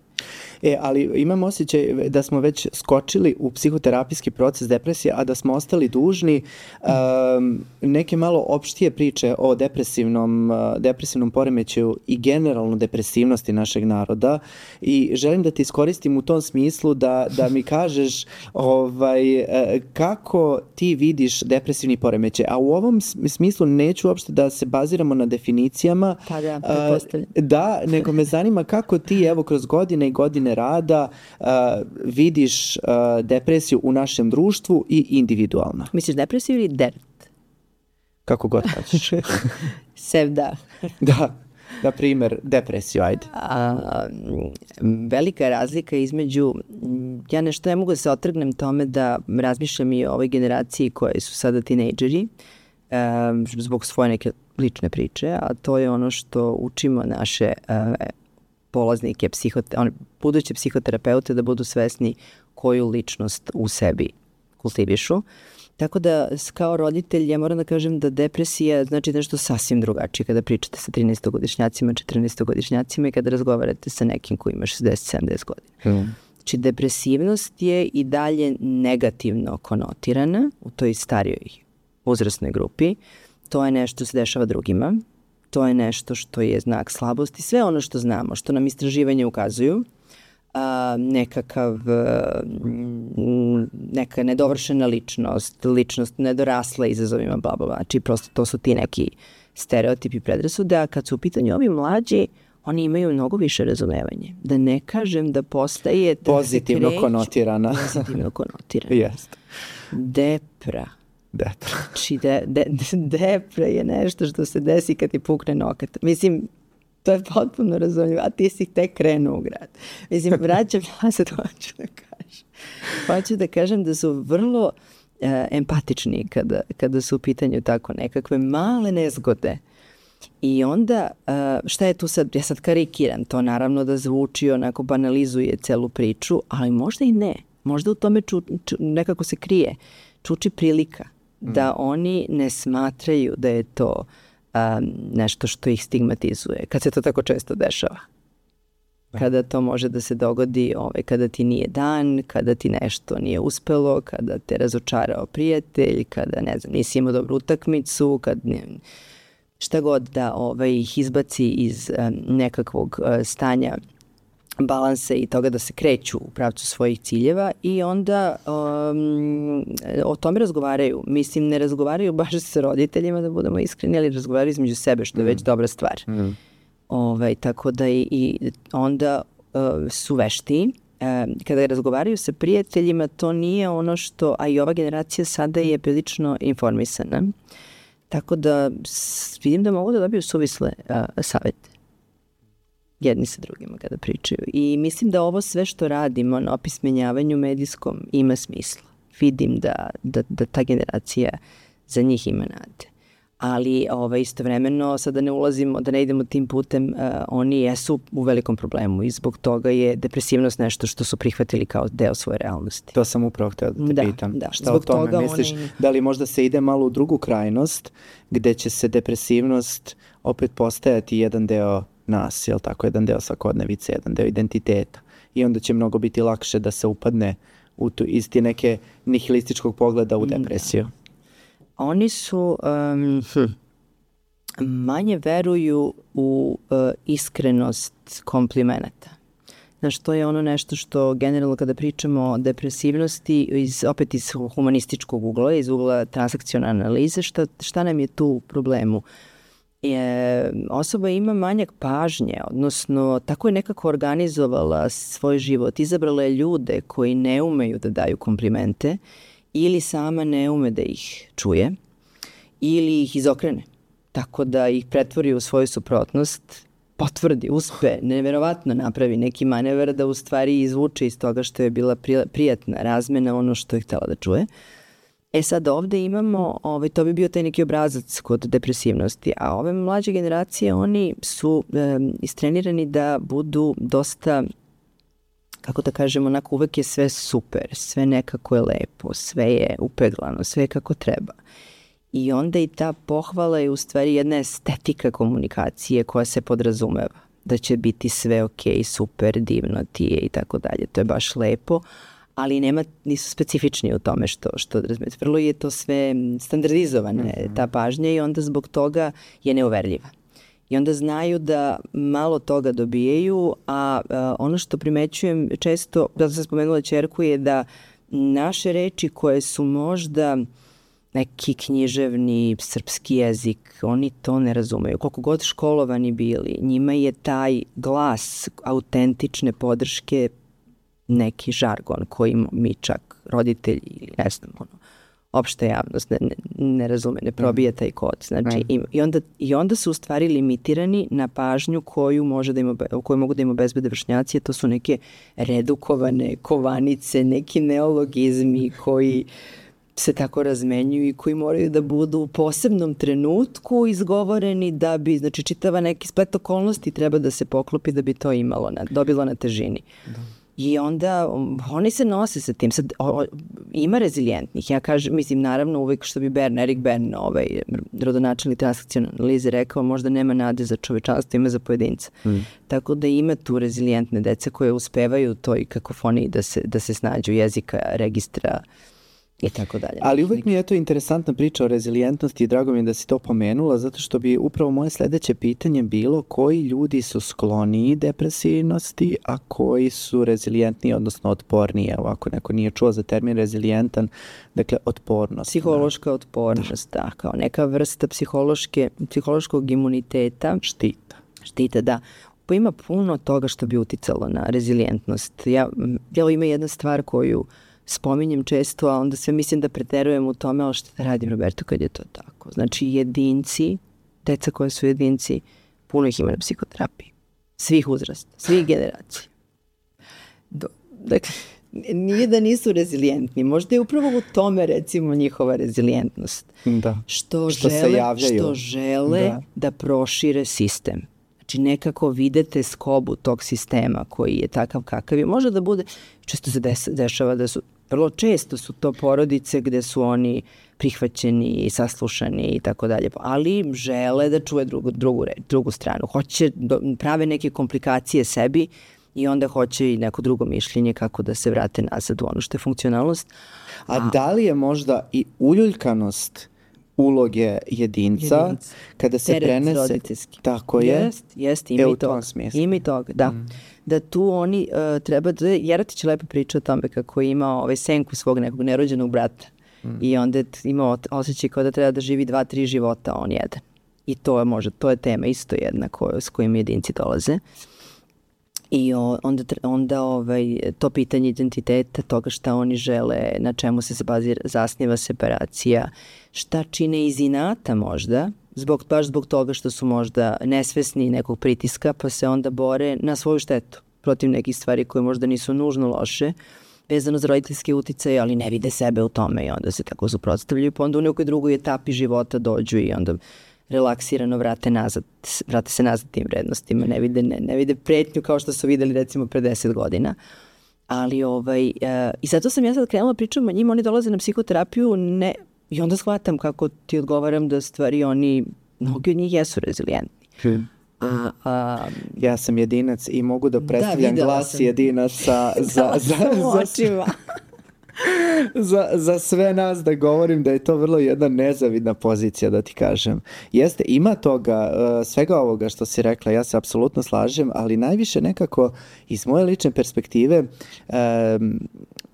E, ali imam osjećaj da smo već skočili u psihoterapijski proces depresije, a da smo ostali dužni um, neke malo opštije priče o depresivnom, uh, depresivnom poremećaju i generalno depresivnosti našeg naroda i želim da te iskoristim u tom smislu da, da mi kažeš ovaj, uh, kako ti vidiš depresivni poremećaj, a u ovom smislu neću uopšte da se baziramo na definicijama,
pa da, pretpostavljam.
Uh, da, nego me zanima kako ti evo kroz godine i godine rada uh, vidiš uh, depresiju u našem društvu i individualno.
Misliš depresiju ili dert?
Kako god hoćeš.
Sev da.
Da, na primjer, depresiju, ajde.
A, velika razlika između, ja nešto ne mogu da se otrgnem tome da razmišljam i o ovoj generaciji koje su sada tinejdžeri, um, zbog svoje neke lične priče, a to je ono što učimo naše uh, polaznike, psihote, one, buduće psihoterapeute da budu svesni koju ličnost u sebi kultivišu. Tako da kao roditelj ja moram da kažem da depresija znači nešto sasvim drugačije kada pričate sa trinaestogodišnjacima, četrnaestogodišnjacima i kada razgovarate sa nekim ko ima šezdeset sedamdeset godina. Mm. Znači depresivnost je i dalje negativno konotirana u toj starijoj uzrasnoj grupi. To je nešto što se dešava drugima. To je nešto što je znak slabosti. Sve ono što znamo, što nam istraživanje ukazuju, a, nekakav, neka nedovršena ličnost, ličnost nedorasla izazovima, bla, bla, bla. Znači, prosto to su ti neki stereotipi, predrasude, a kad su u pitanju ovi mlađi, oni imaju mnogo više razumevanje. Da ne kažem da postaje... Da
pozitivno kreću, konotirana.
Pozitivno konotirana.
Jeste.
Depra.
Depra.
Znači, de, de, de, depra je nešto što se desi kad ti pukne nokat. Mislim, to je potpuno razumljivo, a ti si tek krenuo u grad. Mislim, vraćam, ja sad hoću da kažem. Hoću da kažem da su vrlo e, empatični kada, kada su u pitanju tako nekakve male nezgode. I onda, e, šta je tu sad, ja sad karikiram, to naravno da zvuči onako banalizuje celu priču, ali možda i ne. Možda u tome ču, ču, nekako se krije, čuči prilika da oni ne smatraju da je to um, nešto što ih stigmatizuje, kad se to tako često dešava. Kada to može da se dogodi ovaj, kada ti nije dan, kada ti nešto nije uspelo, kada te razočarao prijatelj, kada ne znam, nisi imao dobru utakmicu, kad ne, šta god da ovaj, ih izbaci iz um, nekakvog uh, stanja balansa i toga da se kreću u pravcu svojih ciljeva i onda um, o tome razgovaraju. Mislim, ne razgovaraju baš sa roditeljima, da budemo iskreni, ali razgovaraju između sebe, što je već dobra stvar. Mm. Ovaj, tako da i, i onda uh, su vešti. Uh, kada razgovaraju sa prijateljima, to nije ono što, a i ova generacija sada je prilično informisana. Tako da s, vidim da mogu da dobiju suvisle uh, savete jedni sa drugima kada pričaju. I mislim da ovo sve što radimo na opismenjavanju medijskom ima smisla. Vidim da, da, da ta generacija za njih ima nade. Ali ovaj, istovremeno, sada ne ulazimo, da ne idemo tim putem, uh, oni jesu u velikom problemu i zbog toga je depresivnost nešto što su prihvatili kao deo svoje realnosti.
To sam upravo htio da te
da,
pitam.
Da,
šta o tome misliš?
Oni...
Da li možda se ide malo u drugu krajnost gde će se depresivnost opet postajati jedan deo nas, jel tako, jedan deo svakodnevice, jedan deo identiteta i onda će mnogo biti lakše da se upadne u tu isti neke nihilističkog pogleda u depresiju. Da.
Oni su um, hm, manje veruju u uh, iskrenost komplimenata. Znaš, to je ono nešto što generalno kada pričamo o depresivnosti, iz, opet iz humanističkog ugla, iz ugla transakcionalne analize, šta, šta nam je tu u problemu? Je, osoba ima manjak pažnje, odnosno tako je nekako organizovala svoj život, izabrala je ljude koji ne umeju da daju komplimente ili sama ne ume da ih čuje ili ih izokrene, tako da ih pretvori u svoju suprotnost, potvrdi, uspe, neverovatno napravi neki manevar da u stvari izvuče iz toga što je bila prijatna razmena ono što je htela da čuje. E sad ovde imamo, ovaj, to bi bio taj neki obrazac kod depresivnosti, a ove mlađe generacije, oni su e, istrenirani da budu dosta, kako da kažemo, onako uvek je sve super, sve nekako je lepo, sve je upeglano, sve je kako treba. I onda i ta pohvala je u stvari jedna estetika komunikacije koja se podrazumeva, da će biti sve ok, super, divno ti je i tako dalje, to je baš lepo, ali nema, nisu specifični u tome što, što razumete. Vrlo je to sve standardizovane, mm-hmm. ta pažnja i onda zbog toga je neuverljiva. I onda znaju da malo toga dobijaju, a, a ono što primećujem često, zato sam spomenula ćerku, je da naše reči koje su možda neki književni srpski jezik, oni to ne razumeju. Koliko god školovani bili, njima je taj glas autentične podrške neki žargon koji mi čak roditelji ili ne znam, ono, opšta javnost ne, ne, ne razume, ne probija taj kod. Znači, mm. i, i, onda, i onda su u stvari limitirani na pažnju koju, može da im, koju mogu da im obezbede vršnjaci, to su neke redukovane kovanice, neki neologizmi koji se tako razmenjuju i koji moraju da budu u posebnom trenutku izgovoreni da bi, znači čitava neki splet okolnosti treba da se poklopi da bi to imalo, na, dobilo na težini. Da. I onda oni se nose sa tim. Sad, o, o, ima rezilijentnih. Ja kažem, mislim, naravno uvek što bi Bern, Erik Bern, ovaj, rodonačelnik transakcionalne analize rekao, možda nema nade za čovečanstvo, ima za pojedinca. Mm. Tako da ima tu rezilijentne dece koje uspevaju toj kakofoniji da se, da se snađu jezika, registra i tako dalje.
Ali uvek mi je to interesantna priča o rezilijentnosti i drago mi je da si to pomenula, zato što bi upravo moje sledeće pitanje bilo koji ljudi su skloniji depresivnosti, a koji su rezilijentniji, odnosno otporniji. Evo, ako neko nije čuo za termin rezilijentan, dakle otpornost.
Psihološka da. otpornost, da. da, kao neka vrsta psihološke, psihološkog imuniteta.
Štita.
Štita, da. Pa ima puno toga što bi uticalo na rezilijentnost. Ja, ja ima jedna stvar koju spominjem često, a onda sve mislim da preterujem u tome, ali što da radim, Roberto, kad je to tako. Znači, jedinci, deca koje su jedinci, puno ih ima na psihoterapiji. Svih uzrasta, svih generacija. Do, dakle, nije da nisu rezilijentni. Možda je upravo u tome, recimo, njihova rezilijentnost.
Da.
Što, što žele, se javljaju. Što žele da. da prošire sistem. Znači nekako videte skobu tog sistema koji je takav kakav je. Može da bude, često se des, dešava da su, vrlo često su to porodice gde su oni prihvaćeni i saslušani i tako dalje, ali žele da čuje drugu, drugu, drugu stranu. Hoće, do, prave neke komplikacije sebi i onda hoće i neko drugo mišljenje kako da se vrate nazad u ono što je funkcionalnost.
A, A da li je možda i uljuljkanost uloge jedinca, jedinca. kada se Teret prenese
roditeljski.
Tako je.
Jest, jest, ima
e,
i toga. Ima i toga, da. Mm. Da tu oni uh, treba, da, Jeratić lepo priča o tome kako je imao ovaj senku svog nekog nerođenog brata mm. i onda je imao osjećaj kao da treba da živi dva, tri života, on jedan. I to je možda, to je tema isto jedna koju, s kojim jedinci dolaze. I onda, onda ovaj, to pitanje identiteta, toga šta oni žele, na čemu se bazira, zasniva separacija, šta čine iz inata možda, zbog, baš zbog toga što su možda nesvesni nekog pritiska, pa se onda bore na svoju štetu protiv nekih stvari koje možda nisu nužno loše, vezano za roditeljske uticaje, ali ne vide sebe u tome i onda se tako suprotstavljaju, pa onda u nekoj drugoj etapi života dođu i onda relaksirano vrate nazad, vrate se nazad tim vrednostima, ne vide, ne, ne vide pretnju kao što su videli recimo pre deset godina. Ali ovaj, uh, i zato sam ja sad krenula pričam o njima, oni dolaze na psihoterapiju ne, i onda shvatam kako ti odgovaram da stvari oni, mnogi od njih jesu rezilijentni.
Hmm. A, a, ja sam jedinac i mogu da predstavljam da, glas sam. jedinaca za, za, za, za, za, za sve nas da govorim da je to vrlo jedna nezavidna pozicija, da ti kažem. Jeste, ima toga, uh, svega ovoga što si rekla, ja se apsolutno slažem, ali najviše nekako iz moje lične perspektive um,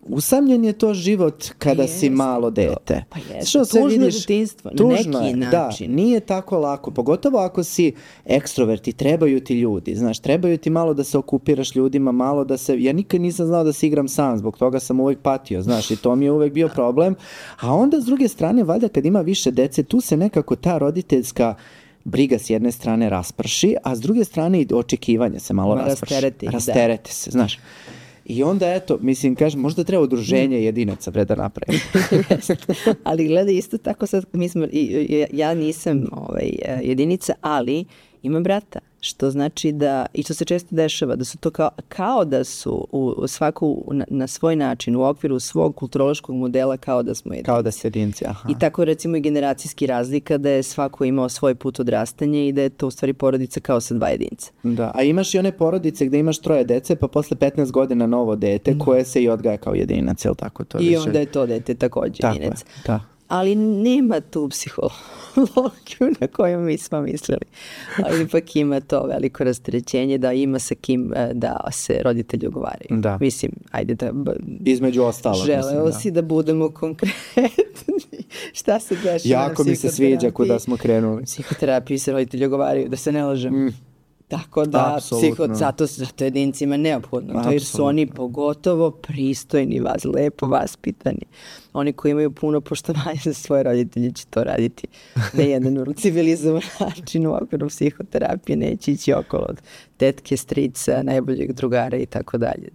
usamljen je to život kada
Jeste,
si malo dete.
Pa jeste, tužno detinjstvo, na neki način.
Da, nije tako lako, pogotovo ako si ekstroverti, trebaju ti ljudi, znaš, trebaju ti malo da se okupiraš ljudima, malo da se, ja nikad nisam znao da se igram sam, zbog toga sam uvek patio, znaš, i to mi je uvek bio problem, a onda s druge strane, valjda kad ima više dece, tu se nekako ta roditeljska briga s jedne strane rasprši, a s druge strane i očekivanje se malo rasprši.
Rastereti,
Rasterete se, znaš. I onda, eto, mislim, kažem, možda treba udruženje jedinaca, bre, da napravim.
Ali gledaj, isto tako sad, mi smo, ja nisam ovaj, jedinica, ali imam brata, što znači da, i što se često dešava, da su to kao, kao da su u, u svaku, na, na svoj način, u okviru svog kulturološkog modela, kao da smo jedinci.
Kao da ste jedinci, aha.
I tako recimo i generacijski razlika, da je svako imao svoj put odrastanja i da je to u stvari porodica kao sa dva jedinca.
Da, a imaš i one porodice gde imaš troje dece, pa posle petnaest godina novo dete, mm. koje se i odgaja kao jedinac, je li tako? To
I
više...
onda je to dete takođe
tako
jedinac.
Je, da.
Ali nema tu psihologiju na koju mi smo mislili. Ali ipak ima to veliko rasterećenje da ima sa kim da se roditelji ogovaraju.
Da.
Mislim, ajde da...
Između ostalo.
Želeo
mislim,
si da. da budemo konkretni. Šta se dešava na psihoterapiji?
Jako mi se sviđa kuda smo krenuli.
Psihoterapiji se roditelji ogovaraju, da se ne lažem. Mm. Tako da, psiho, zato, zato jedincima neophodno. Apsolutno. To jer su oni pogotovo pristojni, vas, lepo vaspitani. Oni koji imaju puno poštovanja za svoje roditelje će to raditi na jedan civilizovan način u okviru psihoterapije, neće ići okolo od tetke, strica, najboljeg drugara i tako dalje.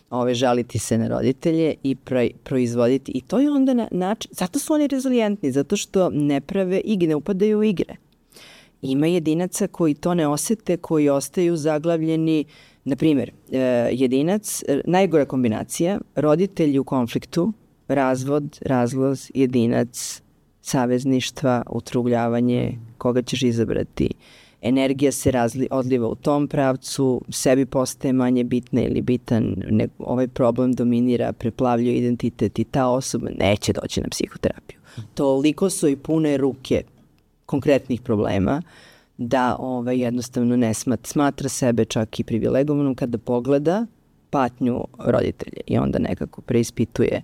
Ove, žaliti se na roditelje i pro, proizvoditi. I to je onda na način, zato su oni rezilijentni, zato što ne prave igre, ne upadaju u igre. Ima jedinaca koji to ne osete, koji ostaju zaglavljeni, na primjer, jedinac, najgora kombinacija, roditelji u konfliktu, razvod, razloz, jedinac, savezništva, utrugljavanje, koga ćeš izabrati. Energija se razli, odliva u tom pravcu, sebi postaje manje bitna ili bitan, ne, ovaj problem dominira, preplavljuje identitet i ta osoba neće doći na psihoterapiju. Toliko su i pune ruke konkretnih problema da ovaj, jednostavno ne smatra, smatra sebe čak i privilegovanom kada pogleda patnju roditelja i onda nekako preispituje.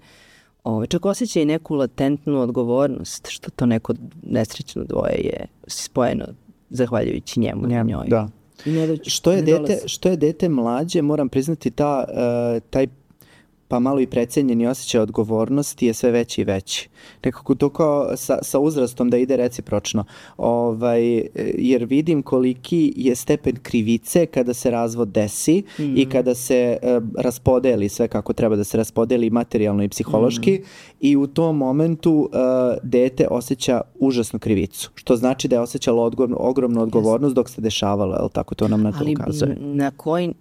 Ovaj, čak osjeća i neku latentnu odgovornost, što to neko nesrećno dvoje je spojeno zahvaljujući njemu i njoj.
Da.
I ne doći,
što, je
ne
dete, što je dete mlađe, moram priznati, ta, uh, taj pa malo i precenjeni osjećaj odgovornosti je sve veći i veći. Nekako to kao sa, sa uzrastom da ide recipročno. Ovaj, jer vidim koliki je stepen krivice kada se razvod desi mm. i kada se uh, raspodeli sve kako treba da se raspodeli materijalno i psihološki mm. i u tom momentu uh, dete osjeća užasnu krivicu. Što znači da je osjećalo odgovor, ogromnu odgovornost yes. dok se dešavalo. Je li tako to nam na to
Ali
ukazuje?
Na koji...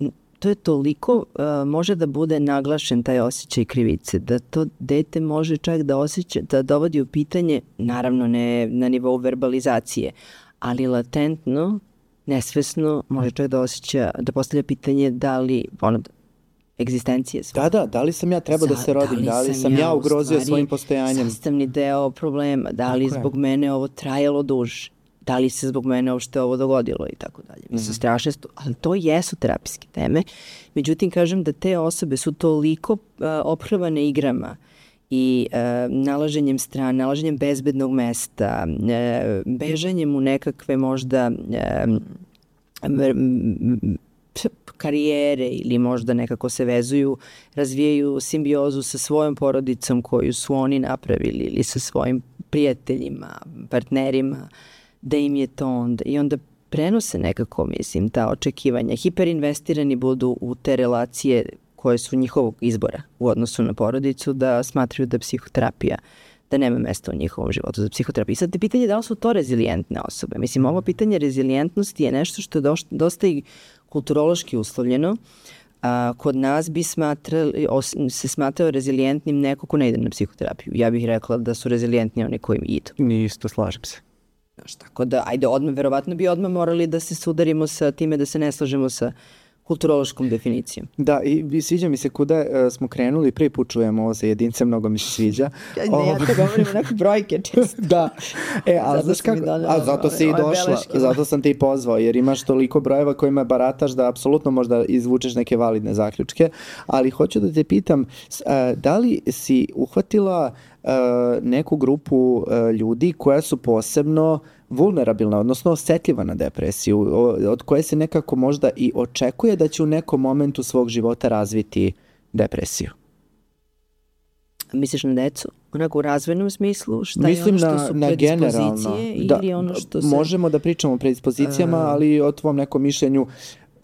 To je toliko, uh, može da bude naglašen taj osjećaj krivice, da to dete može čak da osjeća, da dovodi u pitanje, naravno ne na nivou verbalizacije, ali latentno, nesvesno, može čak da osjeća, da postavlja pitanje da li, ono, egzistencije svoje.
Da, da, da li sam ja trebao da se rodim, da li, da li sam ja, ja ugrozio svojim postojanjem.
Sastavni deo problema, da li zbog mene ovo trajalo duže. Da li se zbog mene uopšte ovo dogodilo i tako dalje. Mislim, mm-hmm. strašne, ali to jesu terapijske teme. Međutim, kažem da te osobe su toliko uh, ophrvane igrama i uh, nalaženjem strane, nalaženjem bezbednog mesta, uh, bežanjem u nekakve možda uh, karijere ili možda nekako se vezuju, razvijaju simbiozu sa svojom porodicom koju su oni napravili ili sa svojim prijateljima, partnerima, da im je to onda i onda prenose nekako, mislim, ta očekivanja. Hiperinvestirani budu u te relacije koje su njihovog izbora u odnosu na porodicu, da smatraju da psihoterapija, da nema mesta u njihovom životu za psihoterapiju. I sad te pitanje da li su to rezilijentne osobe. Mislim, ovo pitanje rezilijentnosti je nešto što je dosta i kulturološki uslovljeno. A, kod nas bi smatrali, os, se smatrao rezilijentnim neko ko ne ide na psihoterapiju. Ja bih rekla da su rezilijentni oni koji idu.
Nisto, slažem se.
Znaš, tako da, ajde, odmah, verovatno bi odmah morali da se sudarimo sa time da se ne slažemo sa kulturološkom definicijom.
Da, i sviđa mi se kuda uh, smo krenuli, prvi put čujemo ovo sa jedince, mnogo mi se sviđa.
Ja, ne, ja to govorim neke brojke često.
Da, e, ali znaš kako, a zato si i došla, beleške. Zato sam te i pozvao, jer imaš toliko brojeva kojima barataš da apsolutno možda izvučeš neke validne zaključke, ali hoću da te pitam, uh, da li si uhvatila uh, neku grupu uh, ljudi koja su posebno vulnerabilna, odnosno osetljiva na depresiju, od koje se nekako možda i očekuje da će u nekom momentu svog života razviti depresiju?
Misliš na decu? Onako u razvojnom smislu? Šta
Mislim
je ono što su
na,
predispozicije?
Da,
ili ono što se...
Možemo da pričamo o predispozicijama, uh, ali o tvom nekom mišljenju,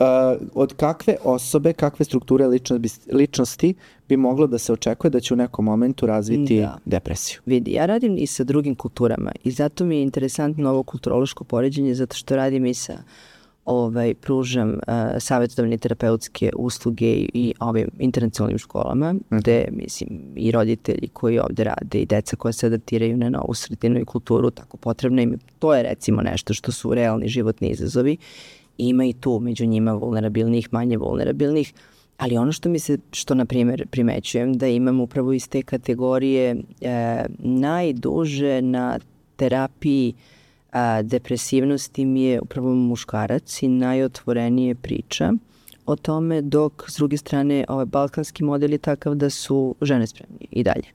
Uh, od kakve osobe, kakve strukture ličnosti, ličnosti bi moglo da se očekuje da će u nekom momentu razviti da. depresiju?
Vidi, ja radim i sa drugim kulturama i zato mi je interesantno ovo kulturološko poređenje, zato što radim i sa ovaj, pružam uh, savjetodavne terapeutske usluge i, i ovim internacionalnim školama, mm. gde, mislim, i roditelji koji ovde rade i deca koja se adaptiraju na novu sredinu i kulturu, tako potrebno im. To je recimo nešto što su realni životni izazovi. Ima i tu među njima vulnerabilnih, manje vulnerabilnih, ali ono što mi se, što na primjer primećujem, da imam upravo iz te kategorije e, najduže na terapiji a, depresivnosti mi je upravo muškarac i najotvorenije priča o tome, dok s druge strane ovaj balkanski model je takav da su žene spremni i dalje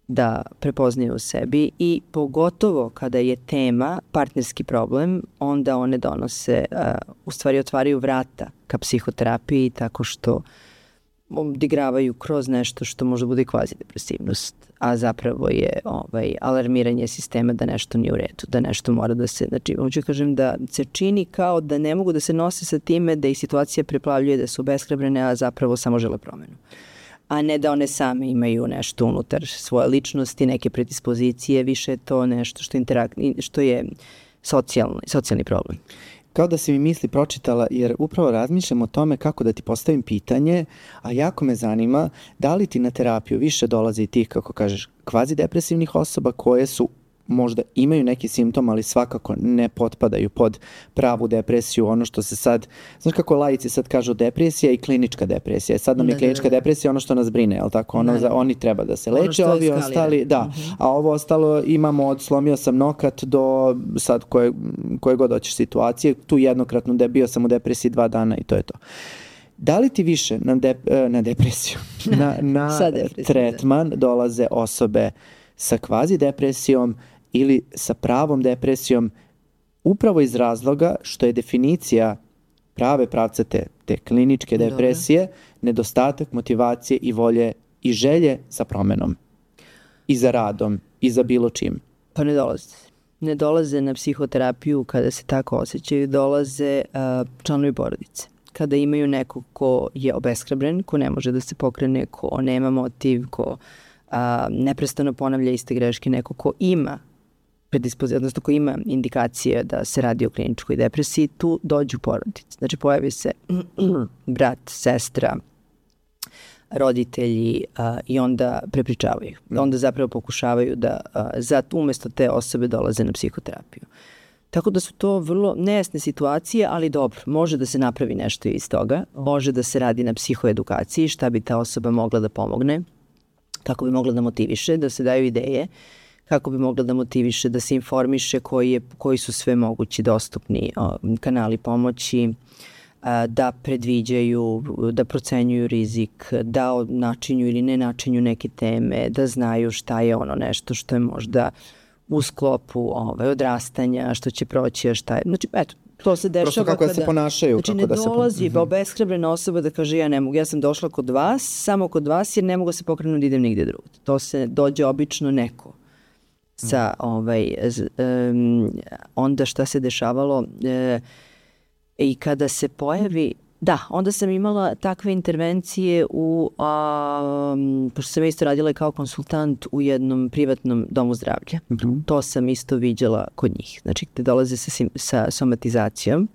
da prepoznaju u sebi i pogotovo kada je tema partnerski problem, onda one donose, uh, u stvari otvaraju vrata ka psihoterapiji tako što odigravaju kroz nešto što može bude kvazi depresivnost, a zapravo je ovaj, alarmiranje sistema da nešto nije u redu, da nešto mora da se, znači, hoću kažem da se čini kao da ne mogu da se nose sa time, da ih situacija preplavljuje, da su obeshrabrene, a zapravo samo žele promenu. A ne da one same imaju nešto unutar svoje ličnosti, neke predispozicije, više je to nešto što, interak, što je socijalni, socijalni problem.
Kao da si mi misli pročitala, jer upravo razmišljam o tome kako da ti postavim pitanje, a jako me zanima da li ti na terapiju više dolazi tih, kako kažeš, kvazi depresivnih osoba koje su možda imaju neki simptom, ali svakako ne potpadaju pod pravu depresiju, ono što se sad, znaš kako laici sad kažu depresija i klinička depresija. Sad nam je klinička depresija ono što nas brine, je li tako? Ono, za, oni treba da se leče, ono ovi ostali, da, uh-huh. a ovo ostalo imamo od slomio sam nokat do sad koje, koje god hoćeš situacije, tu jednokratno da bio sam u depresiji dva dana i to je to. Da li ti više na, dep, na depresiju, na, na tretman dolaze osobe sa kvazi depresijom ili sa pravom depresijom, upravo iz razloga što je definicija prave pravcate te kliničke depresije Dobre. nedostatak motivacije i volje i želje za promenom i za radom i za bilo čim?
Pa ne dolaze. Ne dolaze na psihoterapiju kada se tako osjećaju, dolaze uh, članovi porodice. Kada imaju nekog ko je obeshrabren, ko ne može da se pokrene, ko nema motiv, ko a, neprestano ponavlja iste greške, neko ko ima predispozicija, odnosno ko ima indikacije da se radi o kliničkoj depresiji, tu dođu porodice. Znači pojavi se brat, sestra, roditelji a, i onda prepričavaju. Onda zapravo pokušavaju da a, za, umesto te osobe dolaze na psihoterapiju. Tako da su to vrlo nejasne situacije, ali dobro, može da se napravi nešto iz toga, može da se radi na psihoedukaciji, šta bi ta osoba mogla da pomogne, kako bi mogla da motiviše, da se daju ideje, kako bi mogla da motiviše, da se informiše koji, je, koji su sve mogući dostupni o, kanali pomoći, a, da predviđaju, da procenjuju rizik, da načinju ili ne načinju neke teme, da znaju šta je ono nešto što je možda u sklopu ovaj, odrastanja, što će proći, a šta je. Znači, eto, to se dešava
Prosto kako
kada...
da se ponašaju.
Znači,
kako
ne
da
dolazi
se...
obeshrabrena osoba da kaže ja ne mogu, ja sam došla kod vas, samo kod vas jer ne mogu se pokrenuti da idem nigde drugde. To se dođe obično neko sa, ovaj, um, onda šta se dešavalo e, i kada se pojavi. Da, onda sam imala takve intervencije u, a, pošto sam isto radila kao konsultant u jednom privatnom domu zdravlja. Mm-hmm. To sam isto viđala kod njih. Znači, gde dolaze sa, sa somatizacijom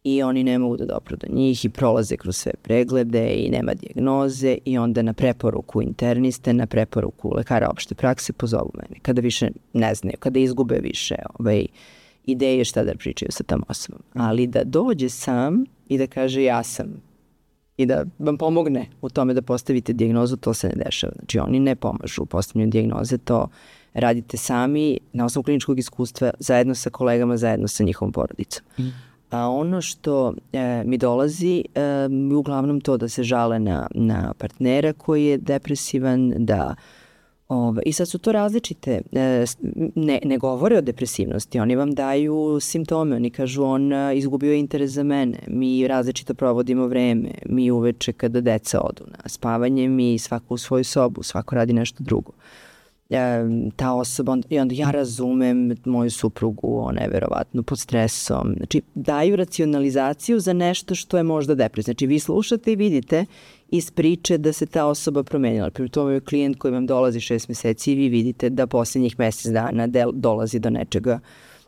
i oni ne mogu da dopru do njih i prolaze kroz sve preglede i nema dijagnoze i onda na preporuku interniste, na preporuku lekara opšte prakse pozovu mene. Kada više ne znaju, kada izgube više ovaj, ideje šta da pričaju sa tom osobom. Ali da dođe sam i da kaže ja sam i da vam pomogne u tome da postavite dijagnozu, to se ne dešava. Znači oni ne pomažu u postavljanju dijagnoze, to radite sami na osnovu kliničkog iskustva, zajedno sa kolegama, zajedno sa njihovom porodicom. Mm. A ono što e, mi dolazi, e, uglavnom to da se žale na, na partnera koji je depresivan, da ove, i sad su to različite, e, ne, ne govore o depresivnosti, oni vam daju simptome, oni kažu on izgubio je interes za mene, mi različito provodimo vreme, mi uveče kada deca odu na spavanje, mi svako u svoju sobu, svako radi nešto drugo. Ta osoba, onda, i onda ja razumem moju suprugu, ona je verovatno pod stresom. Znači, daju racionalizaciju za nešto što je možda depresivno. Znači, vi slušate i vidite iz priče da se ta osoba promenila. Pri tome je klijent koji vam dolazi šest meseci i vi vidite da posljednjih mesec dana del, dolazi do nečega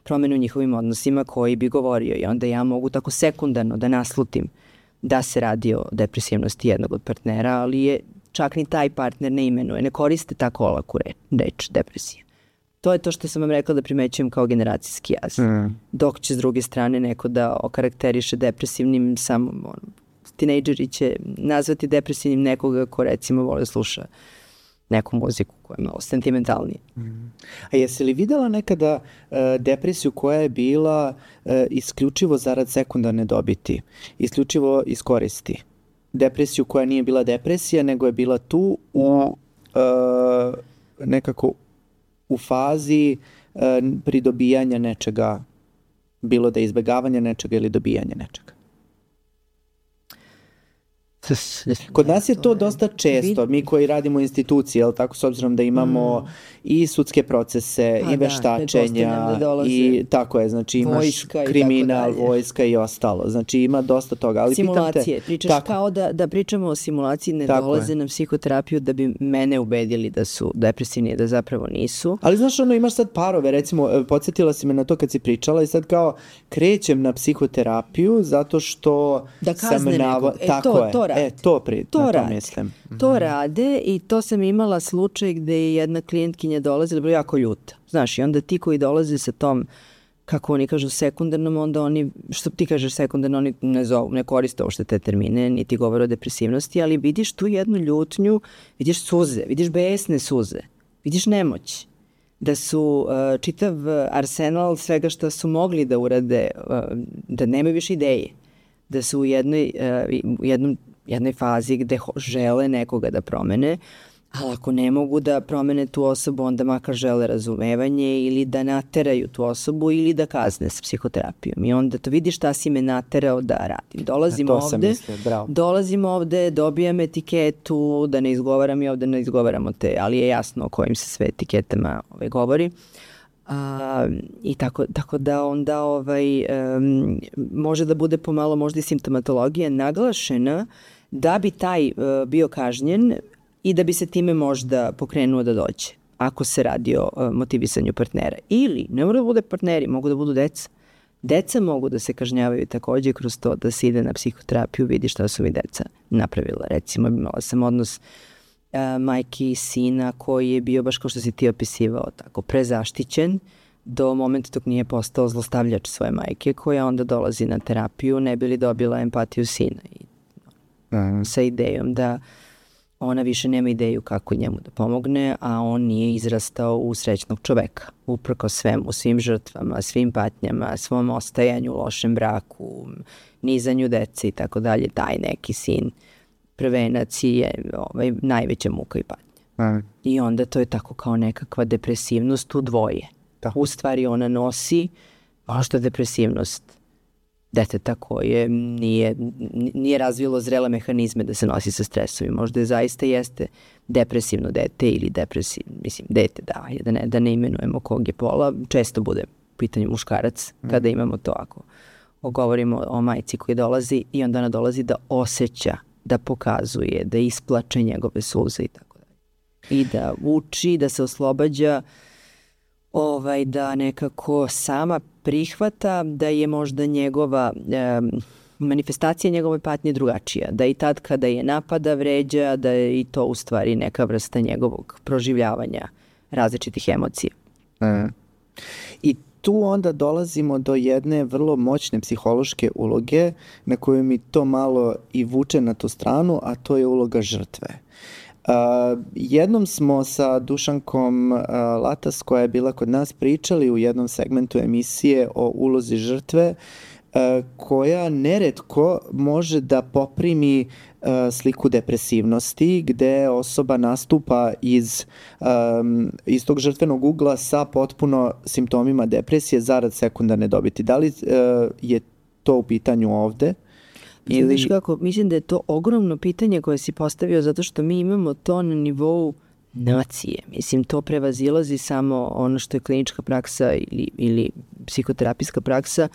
promene u njihovim odnosima koji bi govorio. I onda ja mogu tako sekundarno da naslutim da se radi o depresivnosti jednog od partnera, ali je čak ni taj partner ne imenuje, ne koriste tako olaku reč, reč depresija. To je to što sam vam rekla da primećujem kao generacijski jaz. Mm. Dok će s druge strane neko da okarakteriše depresivnim, samo ono, tinejdžeri će nazvati depresivnim nekoga ko recimo vole sluša neku muziku koja je malo sentimentalnija.
Mm. A jesi li videla nekada uh, depresiju koja je bila uh, isključivo zarad sekundarne dobiti, isključivo iz koristi? Depresiju koja nije bila depresija, nego je bila tu u uh, nekako u fazi uh, pridobijanja nečega, bilo da je izbegavanja nečega ili dobijanja nečega. Kod nas je to dosta često, mi koji radimo u instituciji, jel tako, s obzirom da imamo mm. i sudske procese, pa i veštačenja, da, i tako je, znači imaš kriminal, vojska i ostalo, znači ima dosta toga. Ali
simulacije,
te,
pričaš tako, kao da, da pričamo o simulaciji, ne dolaze je. na psihoterapiju da bi mene ubedili da su depresivni, da zapravo nisu.
Ali znaš, ono, imaš sad parove, recimo, podsjetila si me na to kad si pričala i sad kao krećem na psihoterapiju zato što
da sam navo...
E, tako
to,
je.
To
E, to, pri,
to,
na to
rade.
mislim.
To rade i to sam imala slučaj gde je jedna klijentkinja dolazila, bila jako ljuta. Znaš, i onda ti koji dolaze sa tom, kako oni kažu, sekundarnom, onda oni, što ti kažeš sekundarno, oni ne, zovu, ne koriste uopšte te termine, niti govore o depresivnosti, ali vidiš tu jednu ljutnju, vidiš suze, vidiš besne suze, vidiš nemoć. Da su uh, čitav arsenal svega što su mogli da urade, uh, da nemaju više ideje. Da su u jednoj, uh, u jednom jednoj fazi gde žele nekoga da promene, ali ako ne mogu da promene tu osobu, onda makar žele razumevanje ili da nateraju tu osobu ili da kazne s psihoterapijom. I onda to vidiš šta si me naterao da radim. Dolazim ovde,
mislio,
dolazim ovde, dobijam etiketu, da ne izgovaram i ovde ne izgovaramo te, ali je jasno o kojim se sve etiketama ovaj, govori. A, i tako, tako da onda ovaj, um, može da bude pomalo možda i simptomatologija naglašena da bi taj uh, bio kažnjen i da bi se time možda pokrenuo da dođe, ako se radi o uh, motivisanju partnera. Ili, ne mora da bude partneri, mogu da budu deca. Deca mogu da se kažnjavaju takođe kroz to da se ide na psihoterapiju, vidi šta su mi deca napravila. Recimo, imala sam odnos uh, majke i sina koji je bio, baš kao što si ti opisivao, tako prezaštićen do momenta dok nije postao zlostavljač svoje majke, koja onda dolazi na terapiju, ne bi li dobila empatiju sina. I sa idejom da ona više nema ideju kako njemu da pomogne, a on nije izrastao u srećnog čoveka. Uprko svemu, svim žrtvama, svim patnjama, svom ostajanju, lošem braku, nizanju dece i tako dalje, taj neki sin prvenac je ovaj, najveća muka i patnja. Mm. I onda to je tako kao nekakva depresivnost u dvoje. Da. U stvari ona nosi možda depresivnost deteta koje nije, nije razvilo zrele mehanizme da se nosi sa stresovima. Možda je zaista jeste depresivno dete ili depresivno, mislim, dete, da, da ne, da ne imenujemo kog je pola, često bude u pitanju muškarac mm. kada imamo to, ako govorimo o majci koji dolazi i onda ona dolazi da osjeća, da pokazuje, da isplače njegove suze i tako dalje. I da uči, da se oslobađa, ovaj, da nekako sama prihvata da je možda njegova e, manifestacija njegove patnje drugačija. Da i tad kada je napada, vređa, da je i to u stvari neka vrsta njegovog proživljavanja različitih emocija.
E. I tu onda dolazimo do jedne vrlo moćne psihološke uloge na koju mi to malo i vuče na tu stranu, a to je uloga žrtve. Uh, jednom smo sa Dušankom uh, Latas, koja je bila kod nas, pričali u jednom segmentu emisije o ulozi žrtve, uh, koja neretko može da poprimi uh, sliku depresivnosti, gde osoba nastupa iz, um, iz tog žrtvenog ugla sa potpuno simptomima depresije zarad sekundarne dobiti. Da li uh, je to u pitanju ovde?
Ili... Znaš kako, mislim da je to ogromno pitanje koje si postavio, zato što mi imamo to na nivou nacije. Mislim, to prevazilazi samo ono što je klinička praksa ili, ili psihoterapijska praksa,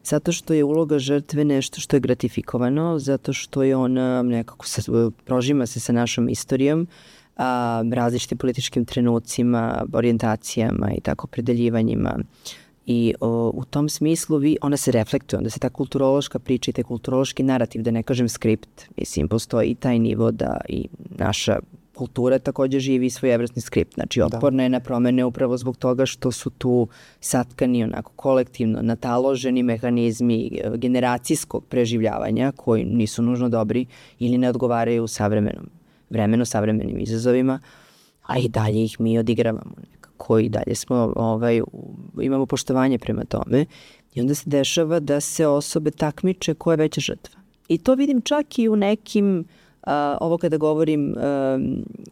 zato što je uloga žrtve nešto što je gratifikovano, zato što je ona nekako sa, prožima se sa našom istorijom, a, različitim političkim trenucima, orijentacijama i tako predeljivanjima. I o, u tom smislu vi, ona se reflektuje, onda se ta kulturološka priča i taj kulturološki narativ, da ne kažem skript, mislim, postoji i taj nivo da i naša kultura takođe živi svojevrsni skript. Znači, otporna je na promene upravo zbog toga što su tu satkani onako kolektivno nataloženi mehanizmi generacijskog preživljavanja koji nisu nužno dobri ili ne odgovaraju u savremenom vremenu, savremenim izazovima, a i dalje ih mi odigravamo nekako i dalje smo, ovaj, imamo poštovanje prema tome i onda se dešava da se osobe takmiče ko je veća žrtva. I to vidim čak i u nekim Uh, ovo kada govorim, uh,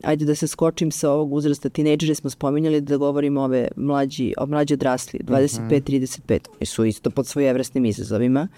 ajde da se skočim sa ovog uzrasta, tinejdžere smo spominjali, da govorim ove mlađi, o mlađi odrasli, dvadeset pet trideset pet, oni su isto pod svojevrsnim izazovima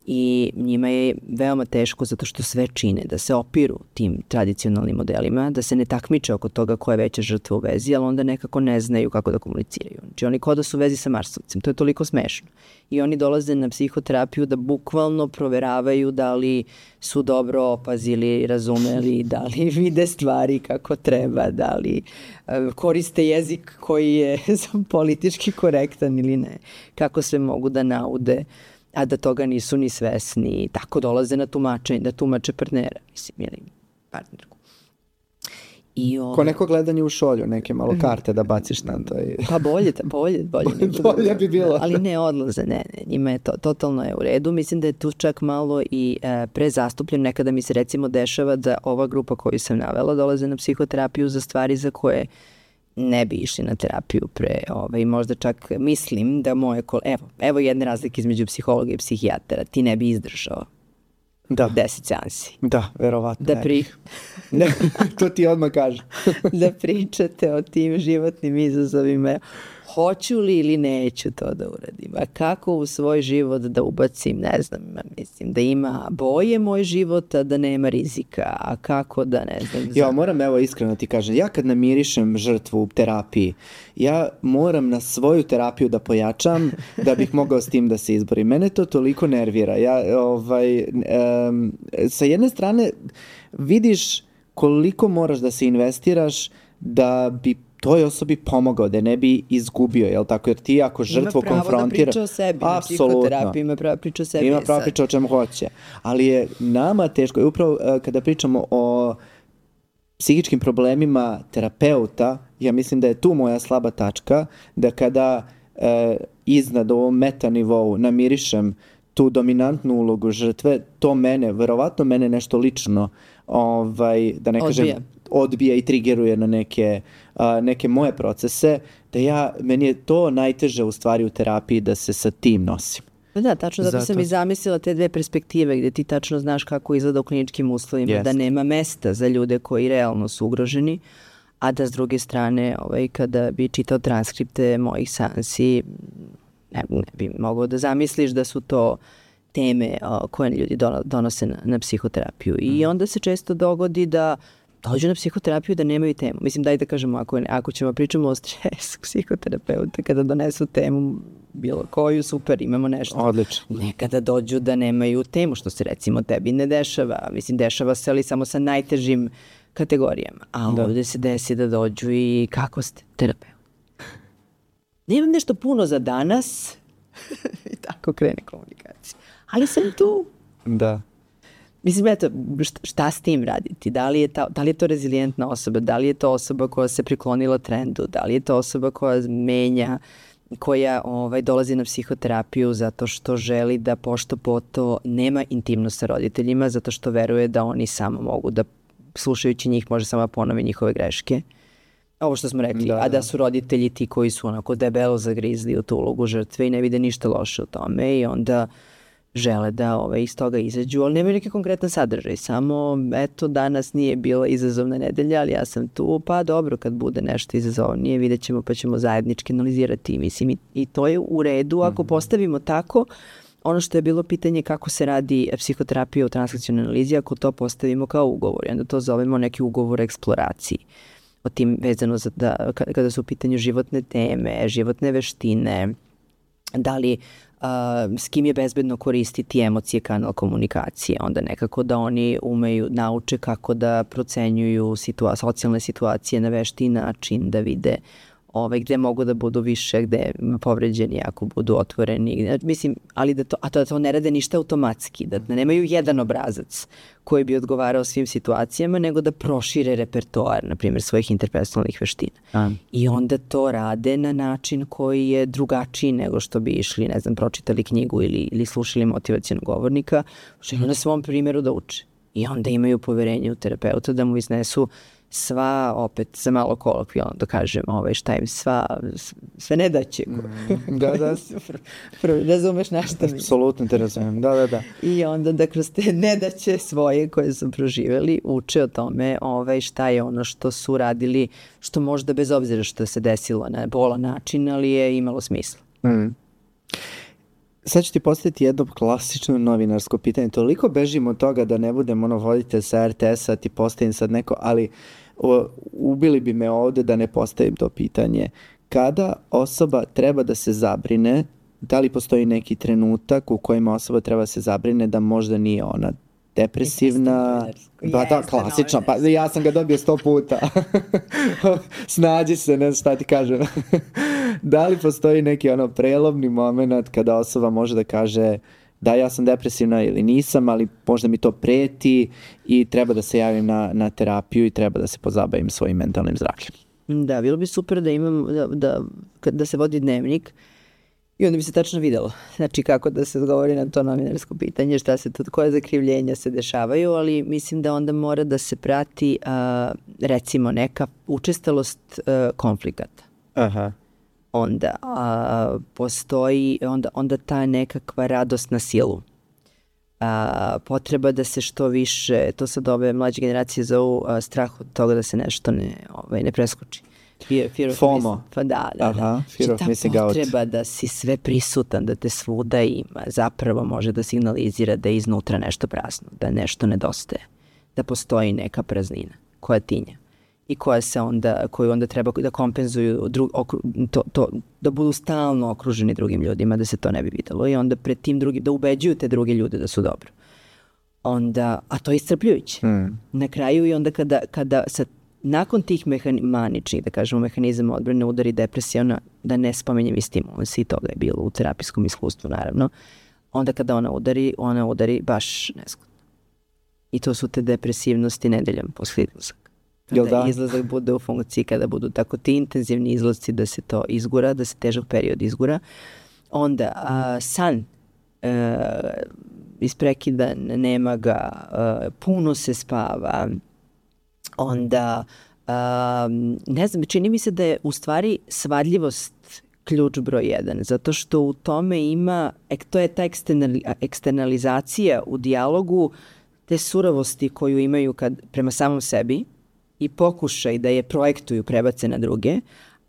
i njima je veoma teško zato što sve čine, da se opiru tim tradicionalnim modelima, da se ne takmiče oko toga ko je veća žrtva u vezi, ali onda nekako ne znaju kako da komuniciraju. Znači oni kao da su u vezi sa Marsovcem, to je toliko smešno. I oni dolaze na psihoterapiju da bukvalno proveravaju da li su dobro opazili, razumeli, da li vide stvari kako treba, da li uh, koriste jezik koji je politički korektan ili ne, kako sve mogu da naude, a da toga nisu ni svesni, tako dolaze na tumačenje, da tumače partnera, mislim, ili partnerku. I ovo... Ko
neko gledanje u šolju, neke malo karte da baciš na to. I...
Pa bolje, bolje, bolje.
bolje bi bilo.
Ali ne odlaze, ne, ne, njima je to, totalno je u redu. Mislim da je tu čak malo i e, prezastupljen. Nekada mi se recimo dešava da ova grupa koju sam navela dolaze na psihoterapiju za stvari za koje ne bi išli na terapiju pre, ovaj, možda čak mislim da moje kolege, evo, evo jedne razlike između psihologa i psihijatara, ti ne bi izdržao
da.
deset seansi.
Da, verovatno.
Da pri...
ne, to ti odmah kaže.
Da pričate o tim životnim izazovima, hoću li ili neću to da uradim, a kako u svoj život da ubacim, ne znam, mislim, da ima boje moj život, a da nema rizika, a kako da, ne znam.
Ja moram, evo, iskreno ti kažem, ja kad namirišem žrtvu u terapiji, ja moram na svoju terapiju da pojačam da bih mogao s tim da se izborim. Mene to toliko nervira. Ja, ovaj, um, sa jedne strane vidiš koliko moraš da se investiraš da bi toj osobi pomogao, da ne bi izgubio, jel tako? Jer ti ako žrtvu konfrontira... Ima pravo da priča
o sebi, na psihoterapiji ima pravo da priča o sebi.
Ima pravo da priča o čemu hoće. Ali je nama teško, i upravo uh, kada pričamo o psihičkim problemima terapeuta, ja mislim da je tu moja slaba tačka, da kada uh, iznad ovom meta nivou namirišem tu dominantnu ulogu žrtve, to mene, verovatno mene nešto lično, ovaj, da ne kažem... Odbija. odbija i trigeruje na neke, a, neke moje procese, da ja, meni je to najteže u stvari u terapiji da se sa tim nosim.
Da, tačno, zato, zato sam i zamislila te dve perspektive gde ti tačno znaš kako izgleda u kliničkim uslovima, Jest. da nema mesta za ljude koji realno su ugroženi, a da s druge strane, ovaj, kada bi čitao transkripte mojih seansi, ne, ne bi mogao da zamisliš da su to teme o, koje ljudi donose na, na psihoterapiju. I onda se često dogodi da dođu na psihoterapiju da nemaju temu. Mislim, daj da kažemo, ako, ako ćemo pričamo o stresu psihoterapeuta, kada donesu temu bilo koju, super, imamo nešto.
Odlično.
Nekada dođu da nemaju temu, što se recimo tebi ne dešava. Mislim, dešava se, ali samo sa najtežim kategorijama. A da. Ovde se desi da dođu i kako ste terapeut? Nemam nešto puno za danas. I tako krene komunikacija. Ali sam tu.
Da.
Mislim, eto, šta, šta s tim raditi? Da li, je ta, da li je to rezilijentna osoba? Da li je to osoba koja se priklonila trendu? Da li je to osoba koja menja koja ovaj, dolazi na psihoterapiju zato što želi da pošto poto nema intimnost sa roditeljima, zato što veruje da oni samo mogu da, slušajući njih, može samo ponovi njihove greške. Ovo što smo rekli, da, da. A da su roditelji ti koji su onako debelo zagrizli u tu ulogu žrtve i ne vide ništa loše u tome i onda žele da ovaj, iz toga izađu, ali nemaju neki konkretan sadržaj, samo eto danas nije bila izazovna nedelja, ali ja sam tu, pa dobro kad bude nešto izazovnije vidjet ćemo pa ćemo zajednički analizirati, mislim i, i to je u redu ako postavimo tako. Ono što je bilo pitanje kako se radi psihoterapija u transakcionalnoj analizi, ako to postavimo kao ugovor, onda to zovemo neki ugovor o eksploraciji. O tim vezano za da, kada su u pitanju životne teme, životne veštine, da li uh, s kim je bezbedno koristiti emocije, kanal komunikacije, onda nekako da oni umeju, nauče kako da procenjuju situa- socijalne situacije na vešti način, da vide ovaj, gde mogu da budu više, gde povređeni ako budu otvoreni. Mislim, ali da to, a to, da to ne rade ništa automatski, da ne nemaju jedan obrazac koji bi odgovarao svim situacijama, nego da prošire repertoar, na primjer, svojih interpersonalnih veština. A. I onda to rade na način koji je drugačiji nego što bi išli, ne znam, pročitali knjigu ili, ili slušali motivacijonog govornika, žele na svom primjeru da uče. I onda imaju poverenje u terapeuta da mu iznesu sva, opet, za malo kolokvijalno da kažem, ovaj, šta im sva, sve nedaće.
Mm, da, da.
Razumeš nešto mi.
Apsolutno te razumem, da, da, da.
I onda da kroz te nedaće svoje koje su proživjeli, uče o tome ovaj, šta je ono što su radili, što možda bez obzira što se desilo na bolan način, ali je imalo smisla.
Mm. Sad ću ti postaviti jedno klasično novinarsko pitanje. Toliko bežimo od toga da ne budem ono voditelj sa er te esa, ti postavim sad neko, ali o, ubili bi me ovde da ne postavim to pitanje. Kada osoba treba da se zabrine, da li postoji neki trenutak u kojem osoba treba da se zabrine da možda nije ona depresivna, pa da, klasično, pa ja sam ga dobio sto puta. Snađi se, ne znam šta ti kažem. Da li postoji neki ono prelomni moment kada osoba može da kaže da ja sam depresivna ili nisam, ali možda mi to preti i treba da se javim na, na terapiju i treba da se pozabavim svojim mentalnim zdravljem.
Da, bilo bi super da imam, da, da, da se vodi dnevnik i onda bi se tačno videlo, znači kako da se odgovori na to novinarsko pitanje, šta se to, koje zakrivljenja se dešavaju, ali mislim da onda mora da se prati a, recimo neka učestalost a, konflikata.
Aha.
Onda a, postoji onda, onda ta nekakva radost na silu. A, potreba da se što više, to sad ove mlađe generacije zovu a, strah od toga da se nešto ne, ovaj, ne preskoči. Fear, fear of
FOMO.
Pa da, da,
Aha,
da.
fear of missing out.
Ta potreba da si sve prisutan, da te svuda ima, zapravo može da signalizira da je iznutra nešto prazno, da nešto nedostaje, da postoji neka praznina koja tinja i koja se onda, koju onda treba da kompenzuju dru, okru, to, to, da budu stalno okruženi drugim ljudima, da se to ne bi videlo i onda pred tim drugim, da ubeđuju te druge ljude da su dobro. Onda, a to je iscrpljujuće. Mm. Na kraju i onda kada, kada sa nakon tih mehani, maničnih, da kažemo, mehanizama odbrane udari depresija, ona, da ne spomenjem i stimulans, i toga je bilo u terapijskom iskustvu, naravno, onda kada ona udari, ona udari baš nezgodno. I to su te depresivnosti nedeljom posle izlazak. Kada da? Izlazak bude u funkciji, kada budu tako ti intenzivni izlazci da se to izgura, da se težak period izgura, onda a, san a, isprekidan, nema ga, a, puno se spava, onda, um, ne znam, čini mi se da je u stvari svadljivost ključ broj jedan, zato što u tome ima, ek, to je ta eksternali, eksternalizacija u dijalogu te suravosti koju imaju kad, prema samom sebi i pokušaj da je projektuju, prebace na druge,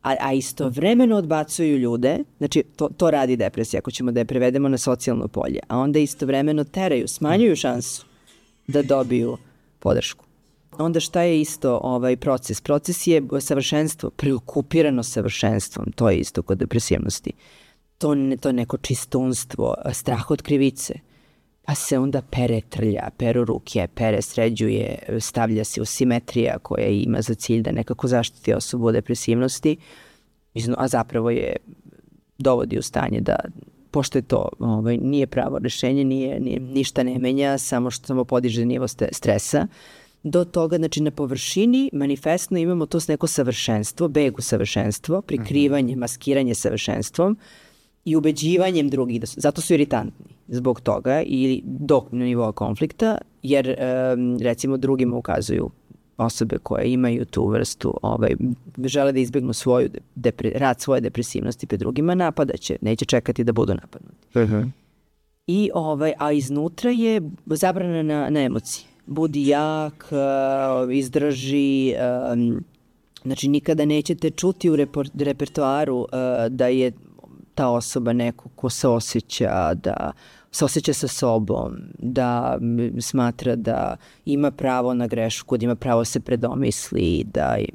a, a istovremeno odbacuju ljude, znači to, to radi depresija, ako ćemo da je prevedemo na socijalno polje, a onda istovremeno teraju, smanjuju šansu da dobiju podršku. Onda šta je isto ovaj proces? Proces je savršenstvo, preokupirano savršenstvom, to je isto kod depresivnosti. To, ne, to je neko čistunstvo, strah od krivice, pa se onda pere trlja, peru ruke, pere sređuje, stavlja se u simetrija koja ima za cilj da nekako zaštiti osobu od depresivnosti, a zapravo je dovodi u stanje da, pošto je to ovaj, nije pravo rešenje, nije, nije, ništa ne menja, samo što samo podiže nivo stresa, do toga, znači na površini manifestno imamo to neko savršenstvo, beg u savršenstvo, prikrivanje, maskiranje savršenstvom i ubeđivanjem drugih, da su, zato su iritantni zbog toga ili do nivoa konflikta, jer um, recimo drugima ukazuju osobe koje imaju tu vrstu, ovaj, žele da izbjegnu svoju depre, rad svoje depresivnosti pred drugima, napadaće, neće čekati da budu napadnuti. Uh-huh. I, ovaj, a iznutra je zabrana na, na emocije. Budi jak, uh, izdrži, um, znači nikada nećete čuti u repor, repertoaru uh, da je ta osoba neko ko se osjeća, da se osjeća sa sobom, da smatra da ima pravo na grešku, da ima pravo se predomisli, da je,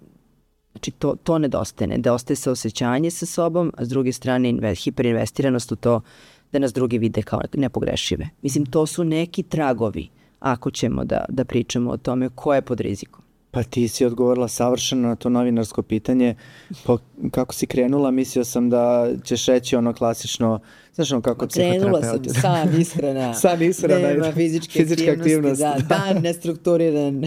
znači to, to nedostaje, nedostaje se osjećanje sa sobom, a s druge strane inve, hiperinvestiranost u to da nas drugi vide kao nepogrešive. Mislim, to su neki tragovi ako ćemo da, da pričamo o tome ko je pod rizikom.
Pa ti si odgovorila savršeno na to novinarsko pitanje. Po, kako si krenula, mislio sam da ćeš reći ono klasično, znaš ono kako psihoterapeuti.
Krenula sam sam ishrana.
Sam ishrana.
Nema fizičke fizička aktivnost. Da, dan nestrukturiran.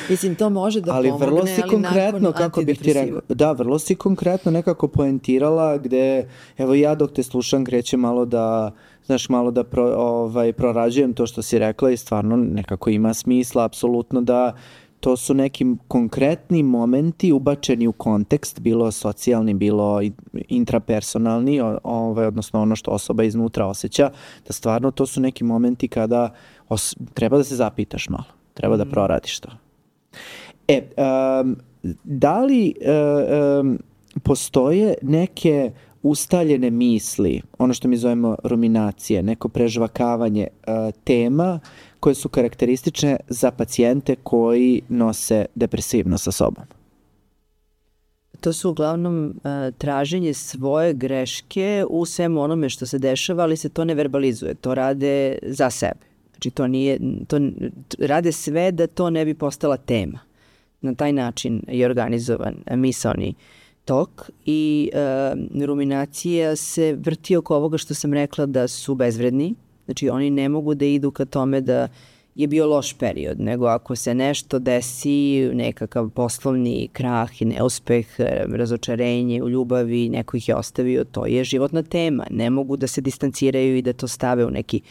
Mislim, to može da
ali
pomogne,
vrlo si
ali
konkretno, kako bih ti rekao, da, vrlo si konkretno nekako poentirala gde, evo ja dok te slušam kreće malo da, znaš, malo da pro, ovaj, prorađujem to što si rekla i stvarno nekako ima smisla, apsolutno da to su neki konkretni momenti ubačeni u kontekst, bilo socijalni, bilo intrapersonalni, ovaj, odnosno ono što osoba iznutra osjeća, da stvarno to su neki momenti kada os- treba da se zapitaš malo, treba da proradiš to. E, um, da li um, postoje neke ustaljene misli, ono što mi zovemo ruminacije, neko prežvakavanje uh, tema koje su karakteristične za pacijente koji nose depresivno sa sobom?
To su uglavnom uh, traženje svoje greške u svemu onome što se dešava, ali se to ne verbalizuje, to rade za sebe. Znači to nije, to rade sve da to ne bi postala tema. Na taj način je organizovan misaoni tok i uh, ruminacija se vrti oko ovoga što sam rekla da su bezvredni. Znači oni ne mogu da idu ka tome da je bio loš period, nego ako se nešto desi, nekakav poslovni krah i neuspeh, razočarenje u ljubavi, neko ih je ostavio, to je životna tema. Ne mogu da se distanciraju i da to stave u neki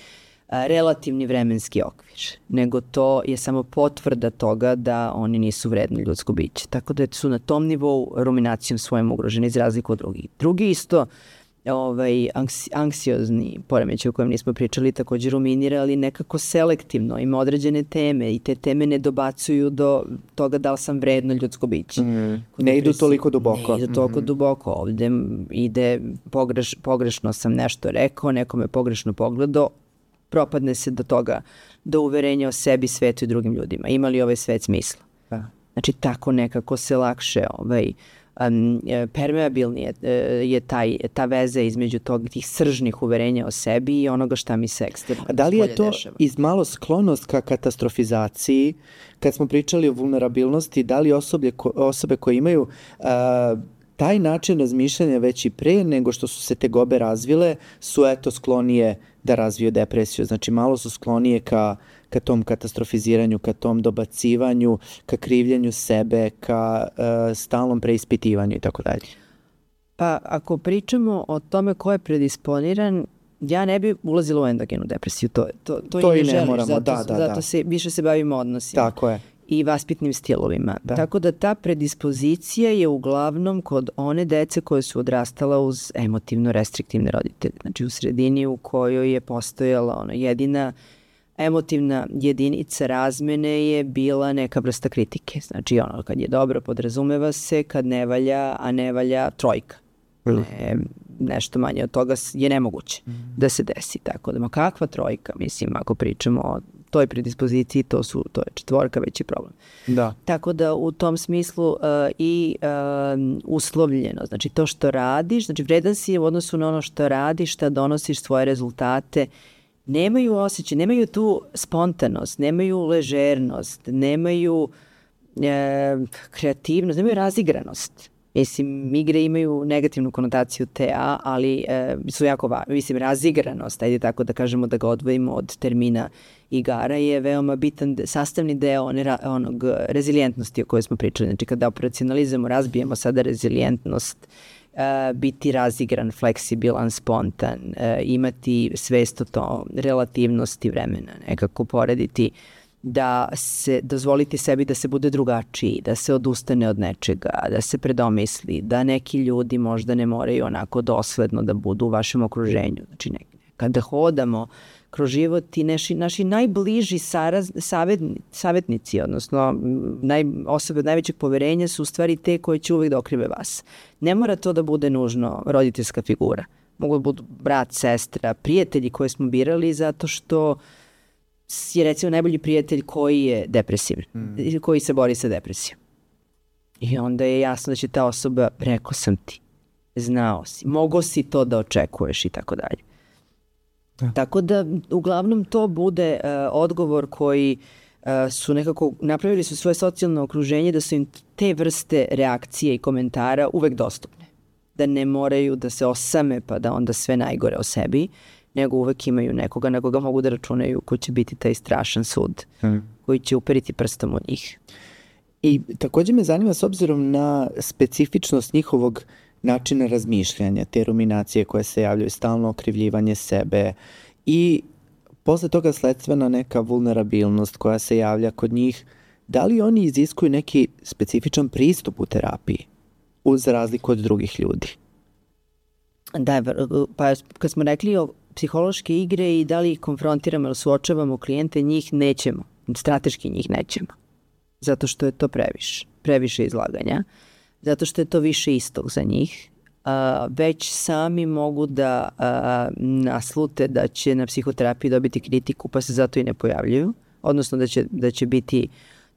a, relativni vremenski okvir, nego to je samo potvrda toga da oni nisu vredni ljudsko biće. Tako da su na tom nivou ruminacijom svojim ugroženi iz razliku od drugih. Drugi isto ovaj, anksi, anksiozni poremećaj o kojem nismo pričali, također ruminira, ali nekako selektivno, ima određene teme i te teme ne dobacuju do toga da li sam vredno ljudsko biće. Mm.
Ne idu toliko duboko.
Ne idu toliko mm-hmm. duboko. Ovde ide pogreš, pogrešno sam nešto rekao, nekome pogrešno pogledao, propadne se do toga, do uverenja o sebi, svetu i drugim ljudima. Ima li ovaj svet smisla? Da. Znači, tako nekako se lakše ovaj, Um, permeabilni je, je taj, ta veza između tog, tih sržnih uverenja o sebi i onoga šta mi se eksterno.
A da li je to dešava? Iz malo sklonost ka katastrofizaciji, kad smo pričali o vulnerabilnosti, da li osobe, ko, osobe koje imaju uh, taj način razmišljanja već i pre nego što su se tegobe razvile, su eto sklonije da razviju depresiju. Znači malo su sklonije ka, ka tom katastrofiziranju, ka tom dobacivanju, ka krivljenju sebe, ka uh, stalnom preispitivanju i tako dalje.
Pa ako pričamo o tome ko je predisponiran, ja ne bi ulazila u endogenu depresiju. To, to, to,
to
i ne,
ne
želiš,
moramo,
zato,
da, da,
zato
da.
se, više se bavimo odnosima.
Tako je.
I vaspitnim stilovima. Da. Tako da ta predispozicija je uglavnom kod one dece koje su odrastala uz emotivno restriktivne roditelje. Znači u sredini u kojoj je postojala ona jedina emotivna jedinica razmene je bila neka vrsta kritike. Znači ono kad je dobro podrazumeva se, kad ne valja, a ne valja trojka. Ne, nešto manje od toga je nemoguće mm. da se desi. Tako da, ma kakva trojka, mislim, ako pričamo o toj predispoziciji, to su to je četvorka, veći problem.
Da.
Tako da u tom smislu uh, i uh, uslovljeno, znači to što radiš, znači vredan si u odnosu na ono što radiš, šta donosiš svoje rezultate, nemaju osjećaj, nemaju tu spontanost, nemaju ležernost, nemaju e, kreativnost, nemaju razigranost. Mislim, igre imaju negativnu konotaciju T A, ali e, su jako važne. Mislim, razigranost, ajde tako da kažemo da ga odvojimo od termina igara, je veoma bitan sastavni deo one, onog rezilijentnosti o kojoj smo pričali. Znači, kada operacionalizujemo, razbijemo sada rezilijentnost, e, biti razigran, fleksibilan, spontan, e, imati svest o to, relativnosti vremena, nekako porediti da se dozvoliti sebi da se bude drugačiji, da se odustane od nečega, da se predomisli, da neki ljudi možda ne moraju onako dosledno da budu u vašem okruženju. Znači, ne, kada hodamo kroz život i naši, naši najbliži saraz, savetni, savetnici, odnosno naj, osobe od najvećeg poverenja su u stvari te koje će uvek da okrive vas. Ne mora to da bude nužno roditeljska figura. Mogu da budu brat, sestra, prijatelji koje smo birali zato što je recimo najbolji prijatelj koji je depresivan, mm. koji se bori sa depresijom. I onda je jasno da će ta osoba, rekao sam ti, znao si, mogo si to da očekuješ i tako dalje. Da. Tako da uglavnom to bude uh, odgovor koji uh, su nekako, napravili su svoje socijalno okruženje da su im te vrste reakcije i komentara uvek dostupne. Da ne moraju da se osame pa da onda sve najgore o sebi, nego uvek imaju nekoga na koga mogu da računaju ko će biti taj strašan sud, hmm. koji će uperiti prstom u njih.
I također me zanima s obzirom na specifičnost njihovog načina razmišljanja, te ruminacije koje se javljaju, stalno okrivljivanje sebe i posle toga sledstvena neka vulnerabilnost koja se javlja kod njih, da li oni iziskuju neki specifičan pristup u terapiji uz razliku od drugih ljudi?
Da, pa kad smo rekli o psihološke igre i da li ih konfrontiramo ili suočavamo klijente, njih nećemo. Strateški njih nećemo. Zato što je to previše. Previše izlaganja. Zato što je to više istog za njih. A, već sami mogu da a, naslute da će na psihoterapiji dobiti kritiku pa se zato i ne pojavljuju. Odnosno da će, da će biti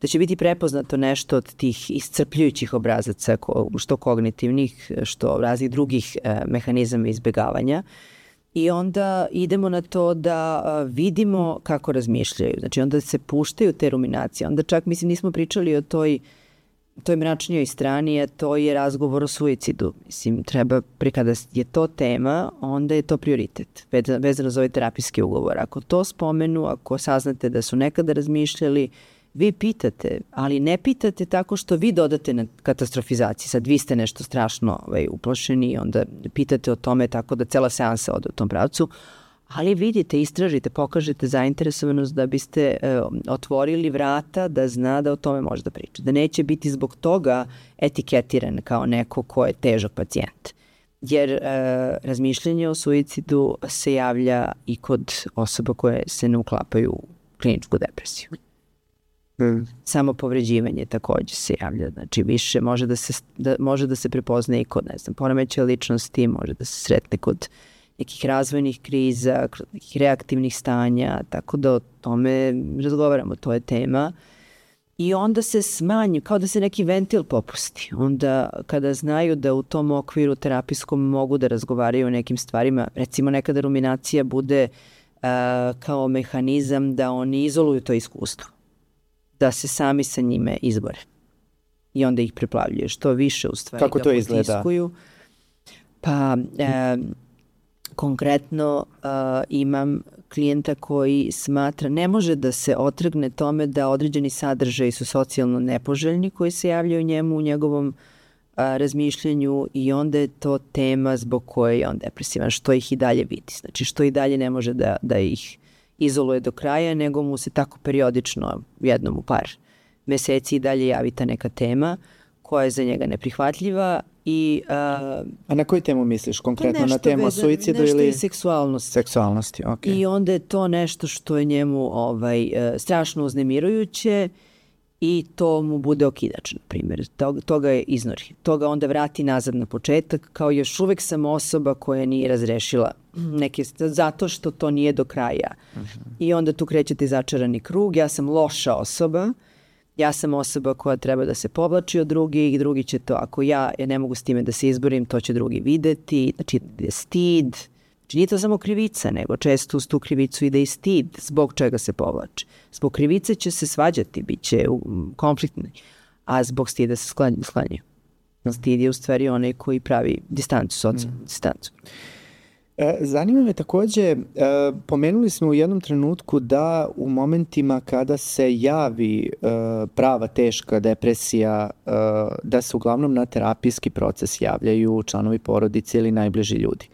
da će biti prepoznato nešto od tih iscrpljujućih obrazaca, što kognitivnih, što raznih drugih e, mehanizama izbjegavanja. I onda idemo na to da a, vidimo kako razmišljaju. Znači onda se puštaju te ruminacije. Onda čak, mislim, nismo pričali o toj, toj mračnijoj strani, a to je razgovor o suicidu. Mislim, treba, kada je to tema, onda je to prioritet, vezano za ovaj terapijski ugovor. Ako to spomenu, ako saznate da su nekada razmišljali, vi pitate, ali ne pitate tako što vi dodate na katastrofizaciji. Sad vi ste nešto strašno ovaj, uplašeni i onda pitate o tome tako da cela seansa ode u tom pravcu, ali vidite, istražite, pokažete zainteresovanost da biste e, otvorili vrata da zna da o tome može da priča. Da neće biti zbog toga etiketiran kao neko ko je težak pacijent. Jer e, razmišljanje o suicidu se javlja i kod osoba koje se ne uklapaju u kliničku depresiju. Mm. Samo povređivanje takođe se javlja, znači više može da se, da, može da se prepozna i kod, ne znam, poremećaja ličnosti, može da se sretne kod nekih razvojnih kriza, kod nekih reaktivnih stanja, tako da o tome razgovaramo, to je tema. I onda se smanju, kao da se neki ventil popusti. Onda kada znaju da u tom okviru terapijskom mogu da razgovaraju o nekim stvarima, recimo nekada ruminacija bude uh, kao mehanizam da oni izoluju to iskustvo, da se sami sa njime izbore. I onda ih preplavljuje. Što više u stvari
kako
ga
to izgleda?
Potiskuju. Pa e, konkretno e, imam klijenta koji smatra, ne može da se otrgne tome da određeni sadržaji su socijalno nepoželjni koji se javljaju njemu u njegovom a, razmišljanju i onda je to tema zbog koje je on depresivan, što ih i dalje vidi. Znači što i dalje ne može da, da ih izoluje do kraja, nego mu se tako periodično, jednom u par meseci i dalje javi ta neka tema koja je za njega neprihvatljiva. I, a,
a na koju temu misliš? Konkretno na temu
veza,
suicidu
nešto
ili?
Nešto seksualnosti.
Seksualnosti, ok.
I onda je to nešto što je njemu ovaj, strašno uznemirujuće i to mu bude okidač, na primjer. Toga, toga je iznori. Toga onda vrati nazad na početak, kao još uvek sam osoba koja nije razrešila neke, zato što to nije do kraja. Uh-huh. I onda tu krećete začarani krug, ja sam loša osoba, ja sam osoba koja treba da se povlači od drugih i drugi će to, ako ja, ja ne mogu s time da se izborim, to će drugi videti, znači je stid. Znači nije to samo krivica, nego često uz tu krivicu ide i stid zbog čega se povlači. Zbog krivice će se svađati, bit će konfliktni, a zbog stida se sklanjaju. Stid je u stvari onaj koji pravi distancu, socijalnu mm. distancu.
Zanima me takođe, pomenuli smo u jednom trenutku da u momentima kada se javi prava teška depresija, da se uglavnom na terapijski proces javljaju članovi porodice ili najbliži ljudi.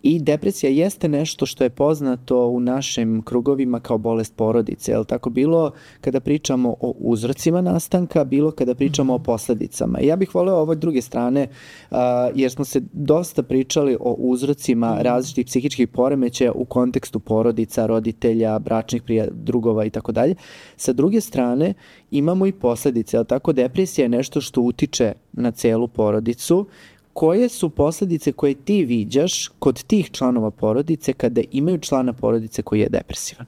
I depresija jeste nešto što je poznato u našim krugovima kao bolest porodice, je li tako, bilo kada pričamo o uzrocima nastanka, bilo kada pričamo o posledicama. I ja bih voleo ovoj druge strane, uh, jer smo se dosta pričali o uzrocima različitih psihičkih poremećaja u kontekstu porodica, roditelja, bračnih prija, drugova i tako dalje. Sa druge strane, imamo i posledice, je li tako, depresija je nešto što utiče na celu porodicu. Koje su posledice koje ti viđaš kod tih članova porodice kada imaju člana porodice koji je depresivan?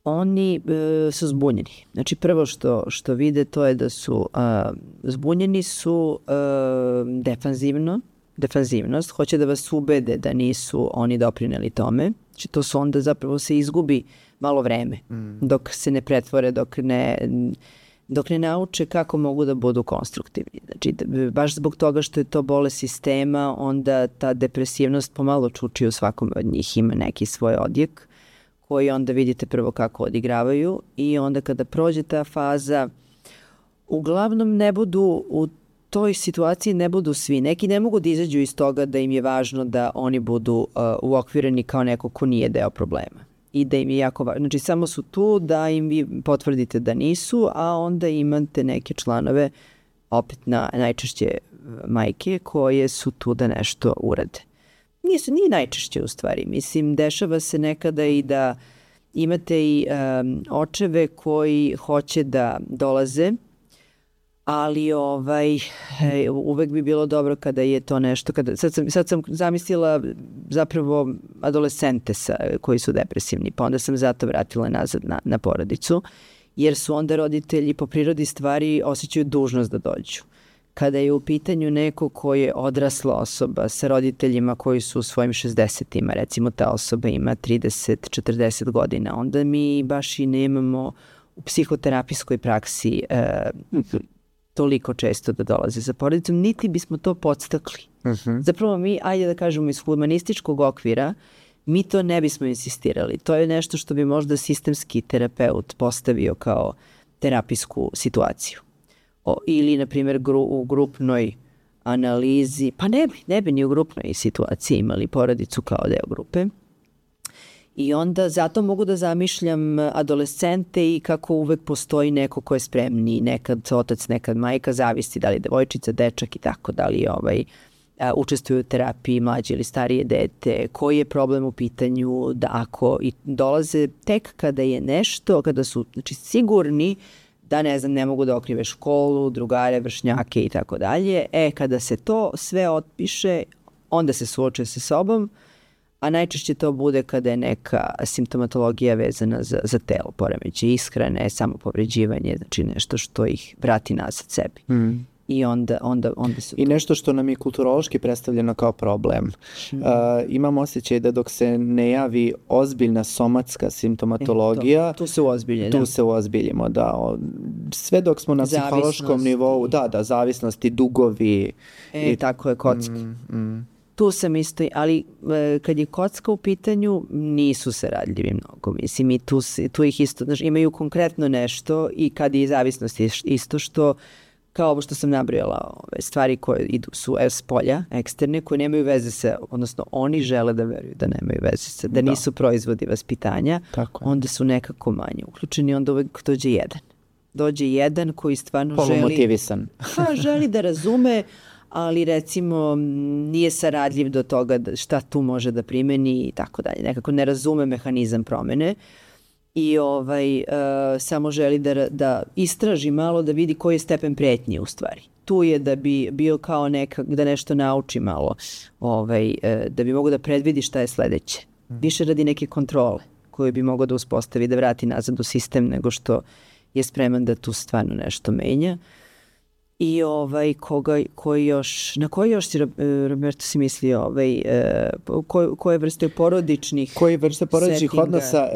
Oni e, su zbunjeni. Znači prvo što, što vide to je da su a, zbunjeni su a, defanzivno, defanzivnost, hoće da vas ubede da nisu oni doprineli tome. Znači to su onda zapravo se izgubi malo vreme mm. dok se ne pretvore, dok ne... dok ne nauče kako mogu da budu konstruktivni. Znači, baš zbog toga što je to bolest sistema, onda ta depresivnost pomalo čuči u svakom od njih, ima neki svoj odjek koji onda vidite prvo kako odigravaju i onda kada prođe ta faza, uglavnom ne budu u toj situaciji ne budu svi. Neki ne mogu da izađu iz toga da im je važno da oni budu uh, uokvireni kao neko ko nije deo problema. I da im je jako važno. Znači, samo su tu da im vi potvrdite da nisu, a onda imate neke članove, opet na, najčešće majke, koje su tu da nešto urade. Nisu, nije najčešće u stvari. Mislim, dešava se nekada i da imate i um, očeve koji hoće da dolaze, ali ovaj, uvek bi bilo dobro kada je to nešto, kada, sad, sam, sad sam zamislila zapravo adolescente sa, koji su depresivni, pa onda sam zato vratila nazad na, na porodicu, jer su onda roditelji po prirodi stvari osjećaju dužnost da dođu. Kada je u pitanju neko koji je odrasla osoba sa roditeljima koji su u svojim šezdesetima, recimo ta osoba ima trideset do četrdeset godina, onda mi baš i nemamo u psihoterapijskoj praksi e, toliko često da dolaze sa porodicom, niti bismo to podstakli. Uh-huh. Zapravo mi, ajde da kažemo iz humanističkog okvira, mi to ne bismo insistirali. To je nešto što bi možda sistemski terapeut postavio kao terapijsku situaciju. O, ili, na primjer, gru, u grupnoj analizi, pa ne bi, ne bi ni u grupnoj situaciji imali porodicu kao deo grupe. I onda zato mogu da zamišljam adolescente i kako uvek postoji neko ko je spremni, nekad otac, nekad majka, zavisi da li devojčica, dečak i tako, da li ovaj, a, učestvuju u terapiji, mlađe ili starije dete, koji je problem u pitanju, da ako i dolaze tek kada je nešto, kada su znači, sigurni da ne znam, ne mogu da okrive školu, drugare, vršnjake i tako dalje, e kada se to sve otpiše, onda se suoče sa sobom, a najčešće to bude kada je neka simptomatologija vezana za, za telo, poremećaj ishrane, samopovređivanje, znači nešto što ih vrati nazad sebi. Mm. I onda, onda, onda su...
I nešto što nam je kulturološki predstavljeno kao problem. Mm. Uh, imam osjećaj da dok se ne javi ozbiljna somatska simptomatologija,
e, to, tu se uozbilje,
tu
da.
se uozbiljimo, da. Sve dok smo na zavisnost psihološkom nivou, da, da, zavisnosti, dugovi.
E, i tako je kocka. Mm, mm. Tu sam isto, ali e, kad je kocka u pitanju, nisu se radljivi mnogo. Mislim, i tu, tu ih isto, znači, imaju konkretno nešto i kad je zavisnost isto što, kao ovo što sam nabrojala, ove stvari koje idu su s polja, eksterne, koje nemaju veze sa, odnosno oni žele da veruju da nemaju veze sa, da, da. nisu proizvodi vaspitanja, onda su nekako manje uključeni, onda uvek dođe jedan. Dođe jedan koji stvarno želi...
Polumotivisan.
Pa, želi da razume, ali recimo nije saradljiv do toga da šta tu može da primeni i tako dalje. Nekako ne razume mehanizam promene i ovaj, uh, samo želi da, da istraži malo, da vidi koji je stepen pretnje u stvari. Tu je da bi bio kao neka, da nešto nauči malo, ovaj, uh, da bi mogo da predvidi šta je sledeće. Više radi neke kontrole koju bi mogo da uspostavi, da vrati nazad u sistem nego što je spreman da tu stvarno nešto menja. I ovaj, koga, koji još, na koji još si, Roberto, si mislio, ovaj, koje, koje vrste porodičnih
Koje vrste porodičnih
settinga?
odnosa?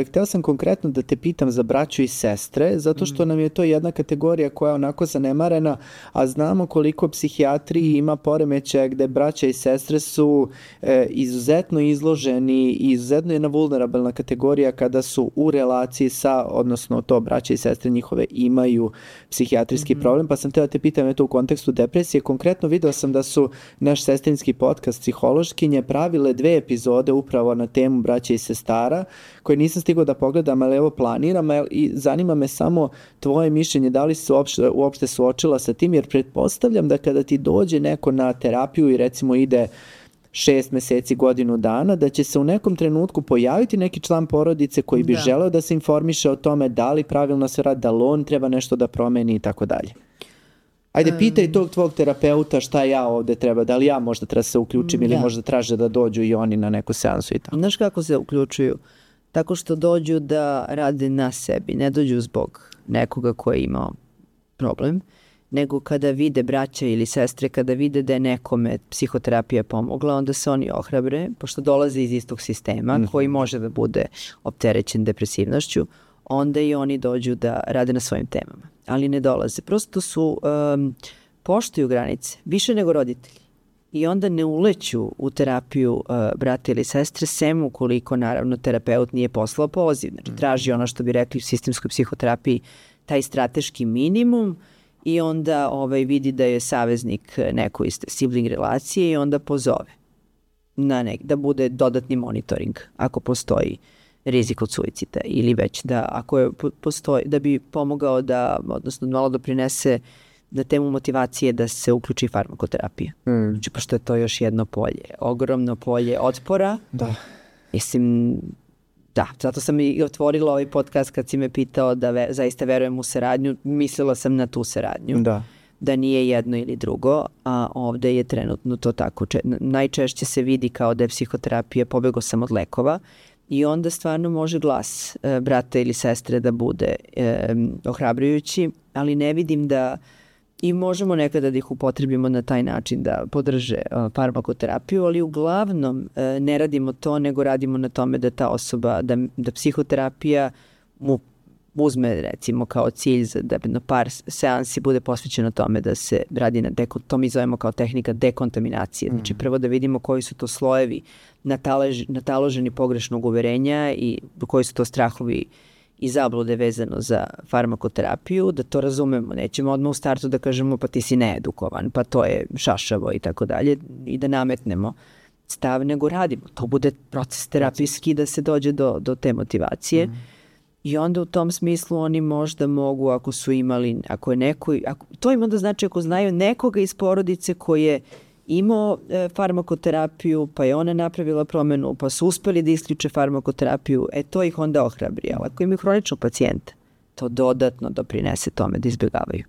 Hteo sam konkretno da te pitam za braću i sestre, zato što mm. nam je to jedna kategorija koja je onako zanemarena, a znamo koliko psihijatriji ima poremećaja gde braća i sestre su e, izuzetno izloženi i izuzetno jedna vulnerabilna kategorija kada su u relaciji sa, odnosno to braća i sestre njihove imaju psihijatrijski mm-hmm. problem, pa sam teo te pitam eto u kontekstu depresije. Konkretno video sam da su naš sestrinski podcast Psihološkinje pravile dve epizode upravo na temu braća i sestara, koje nisam stigao da pogledam, ali evo planiram i zanima me samo tvoje mišljenje, da li se uopšte, uopšte suočila sa tim, jer pretpostavljam da kada ti dođe neko na terapiju i recimo ide šest meseci, godinu dana, da će se u nekom trenutku pojaviti neki član porodice koji bi da. želeo da se informiše o tome da li pravilno se radi, da li on treba nešto da promeni i tako dalje. Ajde, pitaj tog tvog terapeuta šta ja ovde treba, da li ja možda treba se uključim da. ili možda traže da dođu i oni na neku seansu i tako.
Znaš kako se uključuju? Tako što dođu da rade na sebi, ne dođu zbog nekoga ko je imao problem, nego kada vide braća ili sestre, kada vide da je nekome psihoterapija pomogla, onda se oni ohrabre, pošto dolaze iz istog sistema mm. koji može da bude opterećen depresivnošću, onda i oni dođu da rade na svojim temama. Ali ne dolaze. Prosto su, um, poštuju granice, više nego roditelji. I onda ne uleću u terapiju uh, brata ili sestre, sem ukoliko, naravno, terapeut nije poslao poziv. Znači, traži ono što bi rekli u sistemskoj psihoterapiji, taj strateški minimum, i onda ovaj, vidi da je saveznik neko iz sibling relacije i onda pozove na nek, da bude dodatni monitoring ako postoji rizik od suicida ili već da ako je postoji, da bi pomogao da, odnosno malo doprinese na temu motivacije da se uključi farmakoterapija. Mm. Znači, pošto je to još jedno polje, ogromno polje otpora.
Da.
Mislim, da, zato sam i otvorila ovaj podcast kad si me pitao da ve, zaista verujem u saradnju, mislila sam na tu saradnju.
Da.
Da nije jedno ili drugo, a ovde je trenutno to tako. Če, najčešće se vidi kao da je psihoterapija pobegao sam od lekova i onda stvarno može glas e, brata ili sestre da bude e, ohrabrujući, ali ne vidim da i možemo nekada da ih upotrebimo na taj način da podrže uh, farmakoterapiju, ali uglavnom uh, ne radimo to, nego radimo na tome da ta osoba, da, da psihoterapija mu uzme recimo kao cilj za da na par seansi bude posvećeno tome da se radi na deko, to mi zovemo kao tehnika dekontaminacije. Mm. Znači prvo da vidimo koji su to slojevi natalež, nataloženi pogrešnog uverenja i koji su to strahovi i zablude vezano za farmakoterapiju, da to razumemo. Nećemo odmah u startu da kažemo pa ti si needukovan, pa to je šašavo i tako dalje i da nametnemo stav, nego radimo. To bude proces terapijski da se dođe do, do te motivacije. Mm. I onda u tom smislu oni možda mogu, ako su imali, ako je neko, ako, to im onda znači ako znaju nekoga iz porodice koji je imao e, farmakoterapiju, pa je ona napravila promenu, pa su uspeli da isključe farmakoterapiju, e to ih onda ohrabri. Ali ako imaju hroničnog pacijenta, to dodatno doprinese tome da izbjegavaju.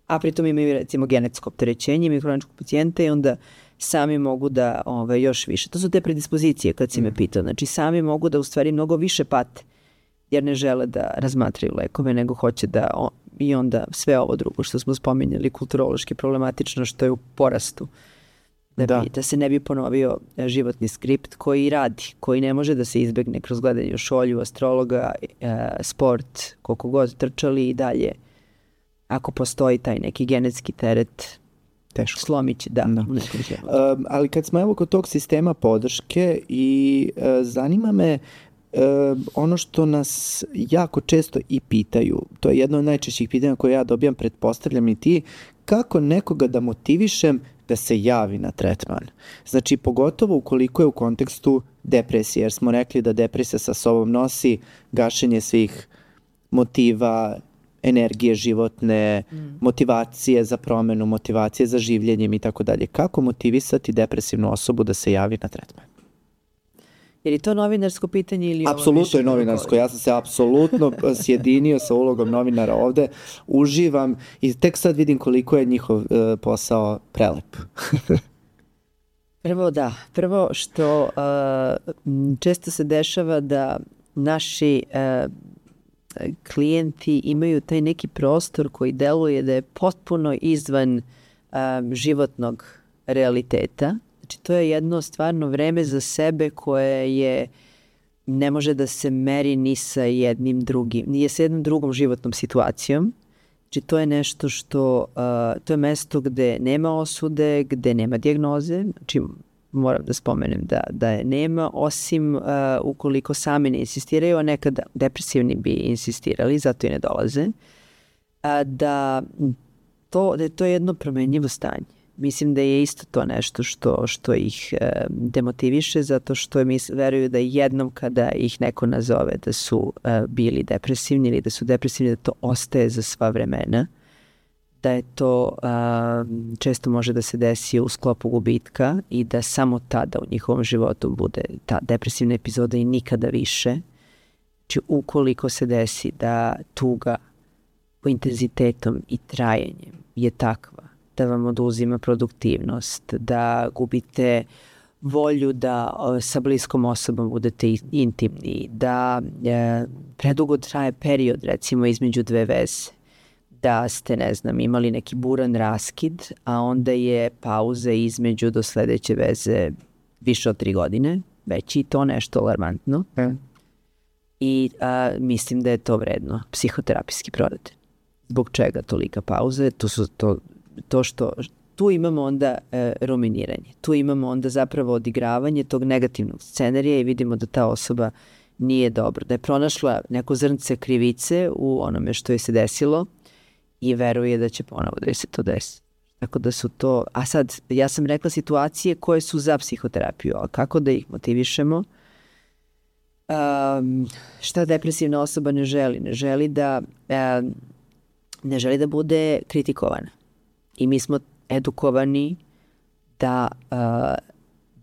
A pritom imaju recimo genetsko opterećenje, imaju hroničnog pacijenta i onda sami mogu da ove, još više. To su te predispozicije kad si me pitao. Znači sami mogu da u stvari mnogo više pate, jer ne žele da razmatraju lekove, nego hoće da o, i onda sve ovo drugo što smo spominjali, kulturološki problematično, što je u porastu. Da, da. Bi, da se ne bi ponovio životni skript koji radi, koji ne može da se izbegne kroz gledanje u šolju, astrologa, e, sport, koliko god trčali i dalje. Ako postoji taj neki genetski teret, teško. Slomit će, da. da.
Um, ali kad smo evo kod tog sistema podrške i uh, zanima me uh, ono što nas jako često i pitaju, to je jedno od najčešćih pitanja koje ja dobijam, pretpostavljam i ti, kako nekoga da motivišem da se javi na tretman. Znači, pogotovo ukoliko je u kontekstu depresije, jer smo rekli da depresija sa sobom nosi gašenje svih motiva, energije životne, mm. motivacije za promenu, motivacije za življenjem i tako dalje. Kako motivisati depresivnu osobu da se javi na tretman?
Je li to novinarsko pitanje ili ovo?
Apsolutno je novinarsko. Ja sam se apsolutno sjedinio sa ulogom novinara ovde. Uživam i tek sad vidim koliko je njihov uh, posao prelep.
Prvo da. Prvo što uh, često se dešava da naši uh, klijenti imaju taj neki prostor koji deluje da je potpuno izvan um, životnog realiteta. Znači, to je jedno stvarno vreme za sebe koje je ne može da se meri ni sa jednim drugim, nije sa jednom drugom životnom situacijom. Znači, to je nešto što, uh, to je mesto gde nema osude, gde nema dijagnoze. Znači, moram da spomenem da, da je nema, osim uh, ukoliko sami ne insistiraju, a nekada depresivni bi insistirali, zato i ne dolaze. A, da, to, da je to jedno promenljivo stanje. Mislim da je isto to nešto što, što ih e, demotiviše, zato što mis, veruju da jednom kada ih neko nazove da su e, bili depresivni ili da su depresivni, da to ostaje za sva vremena, da je to a, često može da se desi u sklopu gubitka i da samo tada u njihovom životu bude ta depresivna epizoda i nikada više. Znači, ukoliko se desi da tuga po intenzitetom i trajanjem je takva da vam oduzima produktivnost, da gubite volju da sa bliskom osobom budete intimni, da e, predugo traje period recimo između dve veze, da ste, ne znam, imali neki buran raskid, a onda je pauza između do sledeće veze više od tri godine, već i to nešto alarmantno. Mm. I a, mislim da je to vredno psihoterapijski prodat. Zbog čega tolika pauza? To su to, to što tu imamo onda e, ruminiranje. Tu imamo onda zapravo odigravanje tog negativnog scenarija i vidimo da ta osoba nije dobro. Da je pronašla neko zrnce krivice u onome što je se desilo i veruje da će ponovo da se to desi. Tako da su to... A sad, ja sam rekla situacije koje su za psihoterapiju, a kako da ih motivišemo? Um, šta depresivna osoba ne želi? Ne želi da, um, ne želi da bude kritikovana. I mi smo edukovani da uh,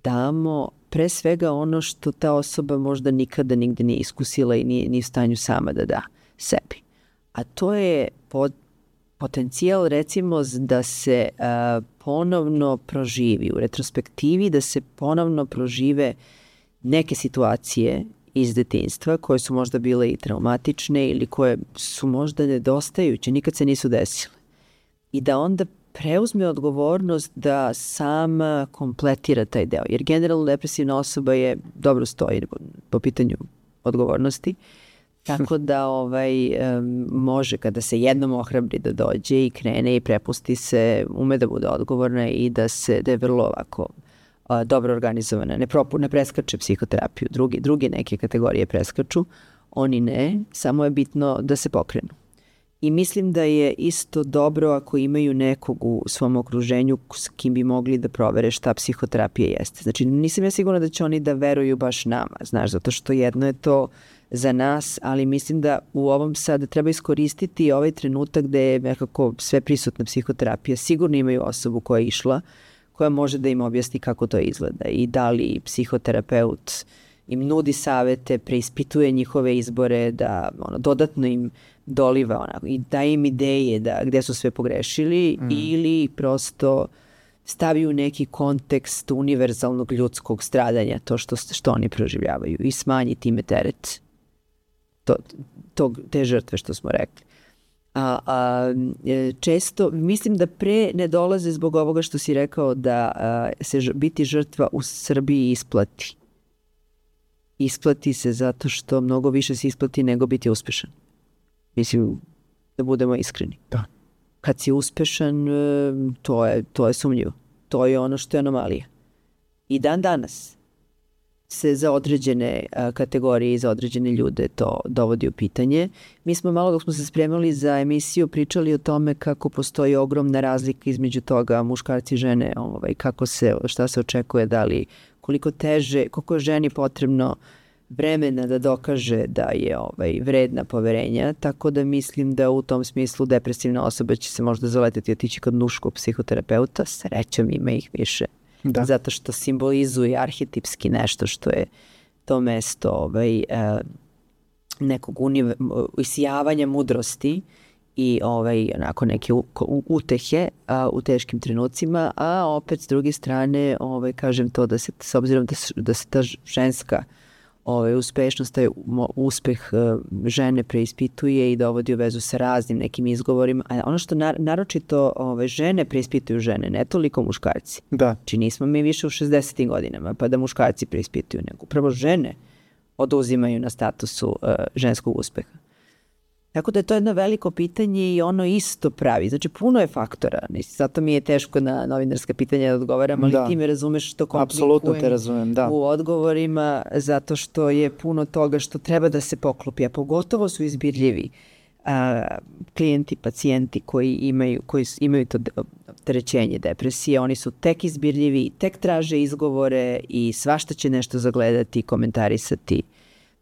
damo pre svega ono što ta osoba možda nikada nigde nije iskusila i nije, nije u stanju sama da da sebi. A to je pod, potencijal recimo da se uh, ponovno proživi u retrospektivi, da se ponovno prožive neke situacije iz detinjstva koje su možda bile i traumatične ili koje su možda nedostajuće, nikad se nisu desile. I da onda preuzme odgovornost da sama kompletira taj deo. Jer generalno depresivna osoba je dobro stoji po pitanju odgovornosti, tako da ovaj, um, može kada se jednom ohrabri da dođe i krene i prepusti se, ume da bude odgovorna i da, se, da je vrlo ovako a, dobro organizovana. Ne, propu, ne preskače psihoterapiju, drugi, drugi neke kategorije preskaču, oni ne, samo je bitno da se pokrenu. I mislim da je isto dobro ako imaju nekog u svom okruženju s kim bi mogli da provere šta psihoterapija jeste. Znači, nisam ja sigurna da će oni da veruju baš nama, znaš, zato što jedno je to za nas, ali mislim da u ovom sad treba iskoristiti ovaj trenutak gde je nekako sve prisutna psihoterapija. Sigurno imaju osobu koja je išla, koja može da im objasni kako to izgleda i da li psihoterapeut im nudi savete, preispituje njihove izbore, da ono, dodatno im doliva onako, i daje im ideje da, gde su sve pogrešili mm. ili prosto stavi u neki kontekst univerzalnog ljudskog stradanja, to što, što oni proživljavaju i smanji time teret to, to, te žrtve što smo rekli. A, a, često, mislim da pre ne dolaze zbog ovoga što si rekao da a, se ž, biti žrtva u Srbiji isplati. Isplati se zato što mnogo više se isplati nego biti uspešan. Mislim, da budemo iskreni.
Da.
Kad si uspešan, to je, to je sumnjivo. To je ono što je anomalija. I dan danas se za određene a, kategorije i za određene ljude to dovodi u pitanje. Mi smo malo dok smo se spremali za emisiju pričali o tome kako postoji ogromna razlika između toga muškarci i žene, ovaj, kako se, šta se očekuje, da li, koliko teže, koliko je ženi potrebno vremena da dokaže da je ovaj, vredna poverenja, tako da mislim da u tom smislu depresivna osoba će se možda zaleteti otići kod muškog psihoterapeuta, srećom ima ih više. Da. Zato što simbolizuje arhetipski nešto što je to mesto ovaj, nekog unive, isijavanja mudrosti i ovaj, onako neke u, u, utehe a, u teškim trenucima, a opet s druge strane ovaj, kažem to da se, s obzirom da, da se ta ženska ovaj, uspešnost, taj uspeh žene preispituje i dovodi u vezu sa raznim nekim izgovorima. A ono što nar naročito ovaj, žene preispituju žene, ne toliko muškarci.
Da.
Či nismo mi više u šezdesetim godinama, pa da muškarci preispituju, nego upravo žene oduzimaju na statusu uh, ženskog uspeha. Tako da je to jedno veliko pitanje i ono isto pravi. Znači, puno je faktora. Zato mi je teško na novinarska pitanja da odgovaram, ali da. Ti me razumeš što komplikujem.
Apsolutno te razumem, da.
U odgovorima, zato što je puno toga što treba da se poklopi, a pogotovo su izbirljivi a, klijenti, pacijenti koji imaju, koji imaju to opterećenje depresije. Oni su tek izbirljivi, tek traže izgovore i svašta će nešto zagledati, komentarisati.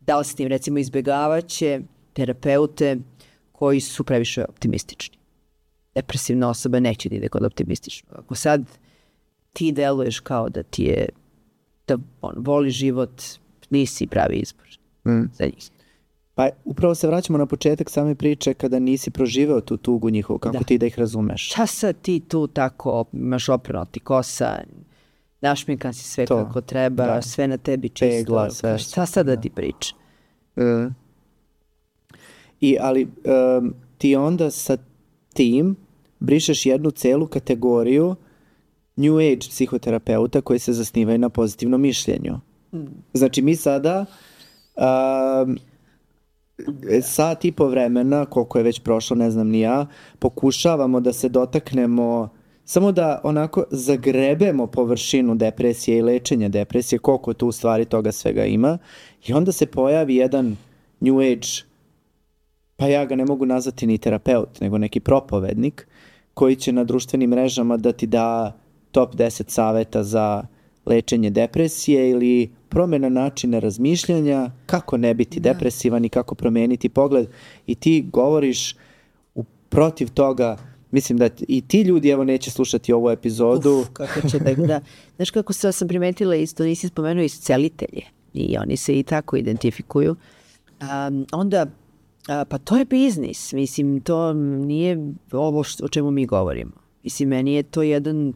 Da li s tim, recimo, izbjegavaće terapeute koji su previše optimistični. Depresivna osoba neće da ide kod optimističnog. Ako sad ti deluješ kao da ti je, da on, voli život, nisi pravi izbor mm. za njih.
Pa upravo se vraćamo na početak same priče kada nisi proživeo tu tugu njihovu, kako da. Ti da ih razumeš.
Šta sad ti tu tako, imaš oprano ti kosa, našminkan si sve to. Kako treba, da. Sve na tebi čisto.
Pegla, sve.
Šta sad da ti priča?
Mm. I, ali um, ti onda sa tim brišeš jednu celu kategoriju New Age psihoterapeuta koji se zasnivaju na pozitivnom mišljenju. Mm. Znači mi sada um, sat i po vremena, koliko je već prošlo, ne znam ni ja, pokušavamo da se dotaknemo, samo da onako zagrebemo površinu depresije i lečenja depresije, koliko tu u stvari toga svega ima, i onda se pojavi jedan New Age, pa ja ga ne mogu nazvati ni terapeut, nego neki propovednik, koji će na društvenim mrežama da ti da top deset saveta za lečenje depresije ili promjena načina razmišljanja, kako ne biti da. depresivan i kako promijeniti pogled. I ti govoriš u protiv toga. Mislim da i ti ljudi evo neće slušati ovu epizodu.
Uf, kako će da, da. Znaš kako se, sam primetila isto, nisi spomenuo iscelitelje i oni se i tako identifikuju. Um, onda A, pa to je biznis, mislim, to nije ovo što, o čemu mi govorimo. Mislim, meni je to jedan,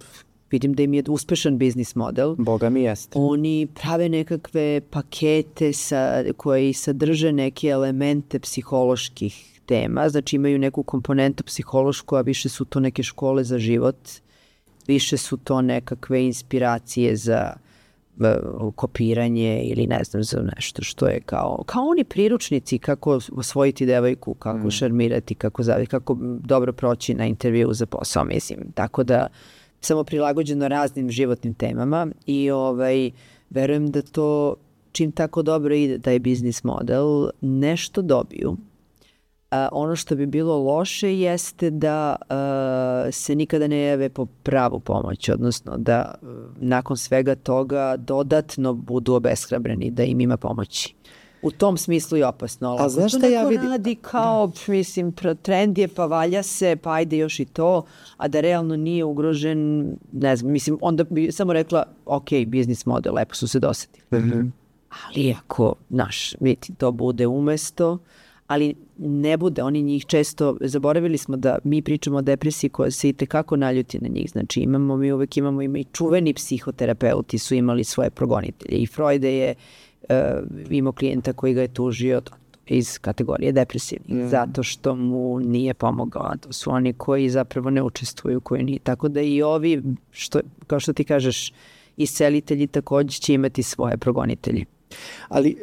vidim da im je uspešan biznis model.
Boga mi jeste.
Oni prave nekakve pakete sa, koji sadrže neke elemente psiholoških tema, znači imaju neku komponentu psihološku, a više su to neke škole za život, više su to nekakve inspiracije za kopiranje ili ne znam za nešto što je kao, kao oni priručnici kako osvojiti devojku, kako mm. šarmirati, kako, zavi, kako dobro proći na intervju za posao, mislim. Tako da samo prilagođeno raznim životnim temama i ovaj, verujem da to čim tako dobro ide taj biznis model, nešto dobiju. A, ono što bi bilo loše jeste da a, se nikada ne jave po pravu pomoć, odnosno da a, nakon svega toga dodatno budu obeshrabreni da im ima pomoći. U tom smislu je opasno.
A znaš šta ja vidim?
Radi kao, da. mislim, trend je pa valja se, pa ajde još i to, a da realno nije ugrožen, ne znam, mislim, onda bi samo rekla, ok, biznis model, lepo su se dosetili. Mm-hmm. Ali ako, naš, vidite, to bude umesto, ali ne bude, oni njih često, zaboravili smo da mi pričamo o depresiji koja se i tekako naljuti na njih, znači imamo, mi uvek imamo, ima i čuveni psihoterapeuti su imali svoje progonitelje i Freude je uh, imao klijenta koji ga je tužio iz kategorije depresivnih, mm. zato što mu nije pomogao, to su oni koji zapravo ne učestvuju, koji nije, tako da i ovi, što, kao što ti kažeš, iscelitelji također će imati svoje progonitelje.
Ali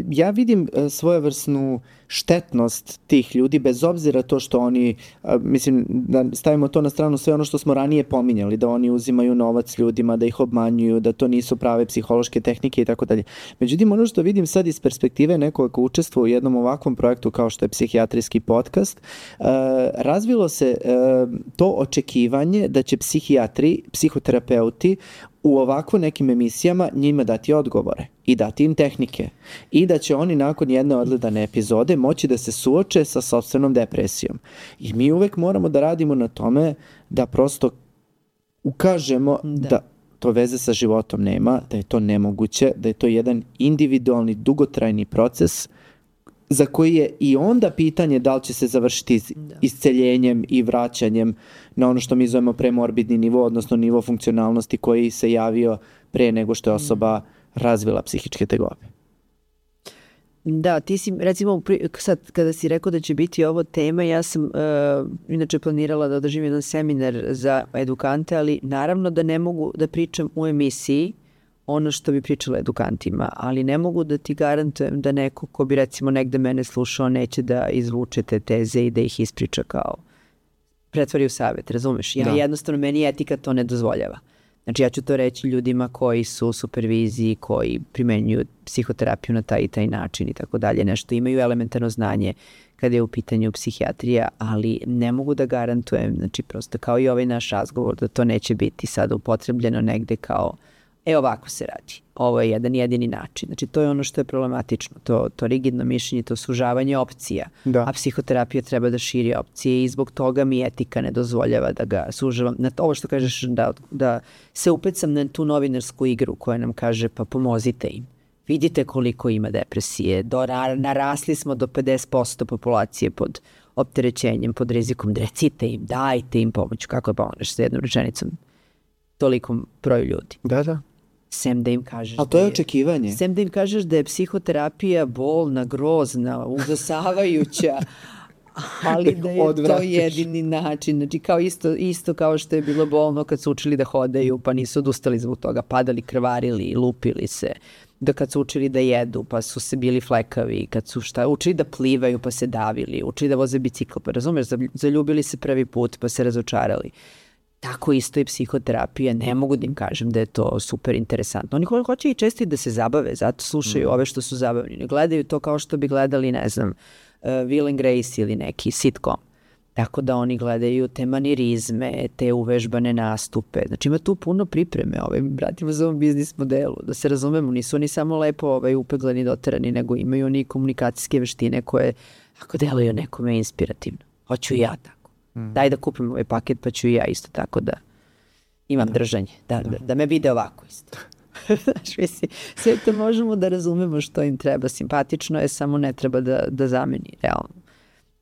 ja vidim svojevrsnu štetnost tih ljudi, bez obzira to što oni, mislim, da stavimo to na stranu sve ono što smo ranije pominjali, da oni uzimaju novac ljudima, da ih obmanjuju, da to nisu prave psihološke tehnike i tako dalje. Međutim, ono što vidim sad iz perspektive nekoga ko učestvuje u jednom ovakvom projektu kao što je psihijatrijski podcast, razvilo se to očekivanje da će psihijatri, psihoterapeuti u ovako nekim emisijama njima dati odgovore i dati im tehnike i da će oni nakon jedne odgledane epizode moći da se suoče sa sopstvenom depresijom. I mi uvek moramo da radimo na tome da prosto ukažemo da, da to veze sa životom nema, da je to nemoguće, da je to jedan individualni, dugotrajni proces za koji je i onda pitanje da li će se završiti da. isceljenjem i vraćanjem na ono što mi zovemo premorbidni nivo, odnosno nivo funkcionalnosti koji se javio pre nego što je osoba razvila psihičke tegobe.
Da, ti si, recimo, sad kada si rekao da će biti ovo tema, ja sam uh, inače planirala da održim jedan seminar za edukante, ali naravno da ne mogu da pričam u emisiji ono što bi pričala edukantima, ali ne mogu da ti garantujem da neko ko bi recimo negde mene slušao neće da izvuče te teze i da ih ispriča kao pretvori u savjet, razumeš? Ja da. Jednostavno, meni etika to ne dozvoljava. Znači ja ću to reći ljudima koji su u superviziji, koji primenjuju psihoterapiju na taj i taj način i tako dalje, nešto imaju elementarno znanje kada je u pitanju psihijatrija, ali ne mogu da garantujem, znači prosto kao i ovaj naš razgovor, da to neće biti sada upotrebljeno negde kao e ovako se radi, ovo je jedan jedini način. Znači to je ono što je problematično, to, to rigidno mišljenje, to sužavanje opcija, da. A psihoterapija treba da širi opcije i zbog toga mi etika ne dozvoljava da ga sužavam. Na to, ovo što kažeš da, da se upecam na tu novinarsku igru koja nam kaže pa pomozite im. Vidite koliko ima depresije, do, narasli smo do pedeset posto populacije pod opterećenjem, pod rizikom, recite im, dajte im pomoć. Kako je pomožeš sa jednom rečenicom tolikom broju ljudi?
Da, da.
Sem da im kažeš...
A to je očekivanje.
Sem da im kažeš da je psihoterapija bolna, grozna, udosavajuća, ali da je to jedini način. Znači kao isto, isto kao što je bilo bolno kad su učili da hodaju, pa nisu odustali zbog toga, padali, krvarili, lupili se. Da kad su učili da jedu, pa su se bili flekavi, kad su šta, učili da plivaju, pa se davili, učili da voze bicikl, pa razumeš, zaljubili se prvi put, pa se razočarali. Tako isto i psihoterapija, ne mogu da im kažem da je to super interesantno. Oni hoće i često i da se zabave, zato slušaju mm. ove što su zabavni. Ne gledaju to kao što bi gledali, ne znam, uh, Will and Grace ili neki sitcom. Tako da oni gledaju te manirizme, te uvežbane nastupe. Znači ima tu puno pripreme, ovaj, vratimo za ovom biznis modelu, da se razumemo, nisu oni samo lepo ovaj, upeglani, doterani, nego imaju oni komunikacijske veštine koje, ako deluju nekome inspirativno, hoću i ja tako. Mm. Daj da kupim ovaj paket, pa ću i ja isto tako da imam da. držanje, da, da. Da, da me vide ovako isto. Znaš, mislim, sve to možemo da razumemo što im treba, simpatično je, samo ne treba da, da zameni realno.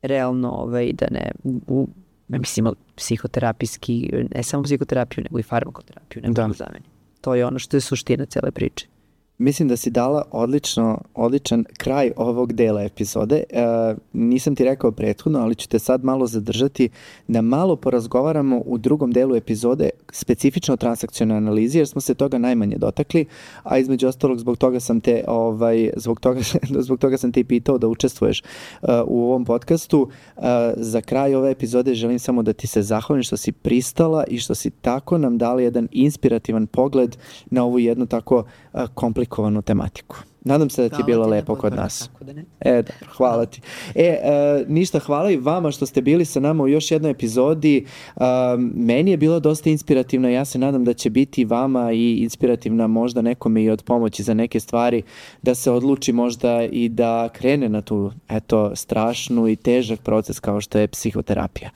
realno ovaj, da ne, u, mislim, psihoterapijski, ne samo psihoterapiju, nego i farmakoterapiju ne mogu zameni. To je ono što je suština cele priče.
Mislim da si dala odlično, odličan kraj ovog dela epizode. E, nisam ti rekao prethodno, ali ću te sad malo zadržati da malo porazgovaramo u drugom delu epizode specifično o transakcionalnoj analizi, jer smo se toga najmanje dotakli, a između ostalog zbog toga sam te ovaj, zbog toga, zbog toga sam te i pitao da učestvuješ uh, u ovom podcastu. Uh, za kraj ove epizode želim samo da ti se zahvalim što si pristala i što si tako nam dala jedan inspirativan pogled na ovu jednu tako uh, komplikovanu tematiku. Nadam se da ti je bilo lepo kod nas.
Tako da ne.
E, dobro, hvala ti. E, e, ništa, hvala i vama što ste bili sa nama u još jednoj epizodi. E, meni je bilo dosta inspirativna, ja se nadam da će biti vama i inspirativna možda nekome i od pomoći za neke stvari, da se odluči možda i da krene na tu, eto, strašnu i težak proces kao što je psihoterapija.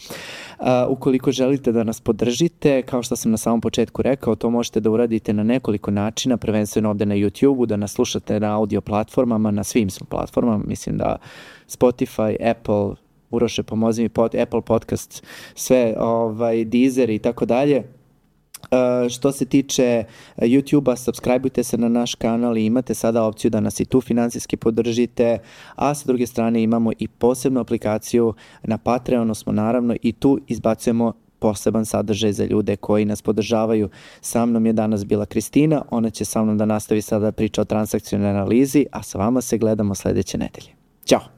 Uh, ukoliko želite da nas podržite, kao što sam na samom početku rekao, to možete da uradite na nekoliko načina, prvenstveno ovde na YouTube-u, da nas slušate na audio platformama, na svim smo platformama, mislim da Spotify, Apple, Uroše, pomozi mi, pod, Apple Podcast, sve, ovaj, Deezer i tako dalje. Uh, što se tiče YouTube-a, subscribeujte se na naš kanal i imate sada opciju da nas i tu finansijski podržite, a sa druge strane imamo i posebnu aplikaciju na Patreonu smo naravno i tu izbacujemo poseban sadržaj za ljude koji nas podržavaju. Sa mnom je danas bila Kristina, ona će sa mnom da nastavi sada priča o transakcionalnoj analizi, a sa vama se gledamo sledeće nedelje. Ćao!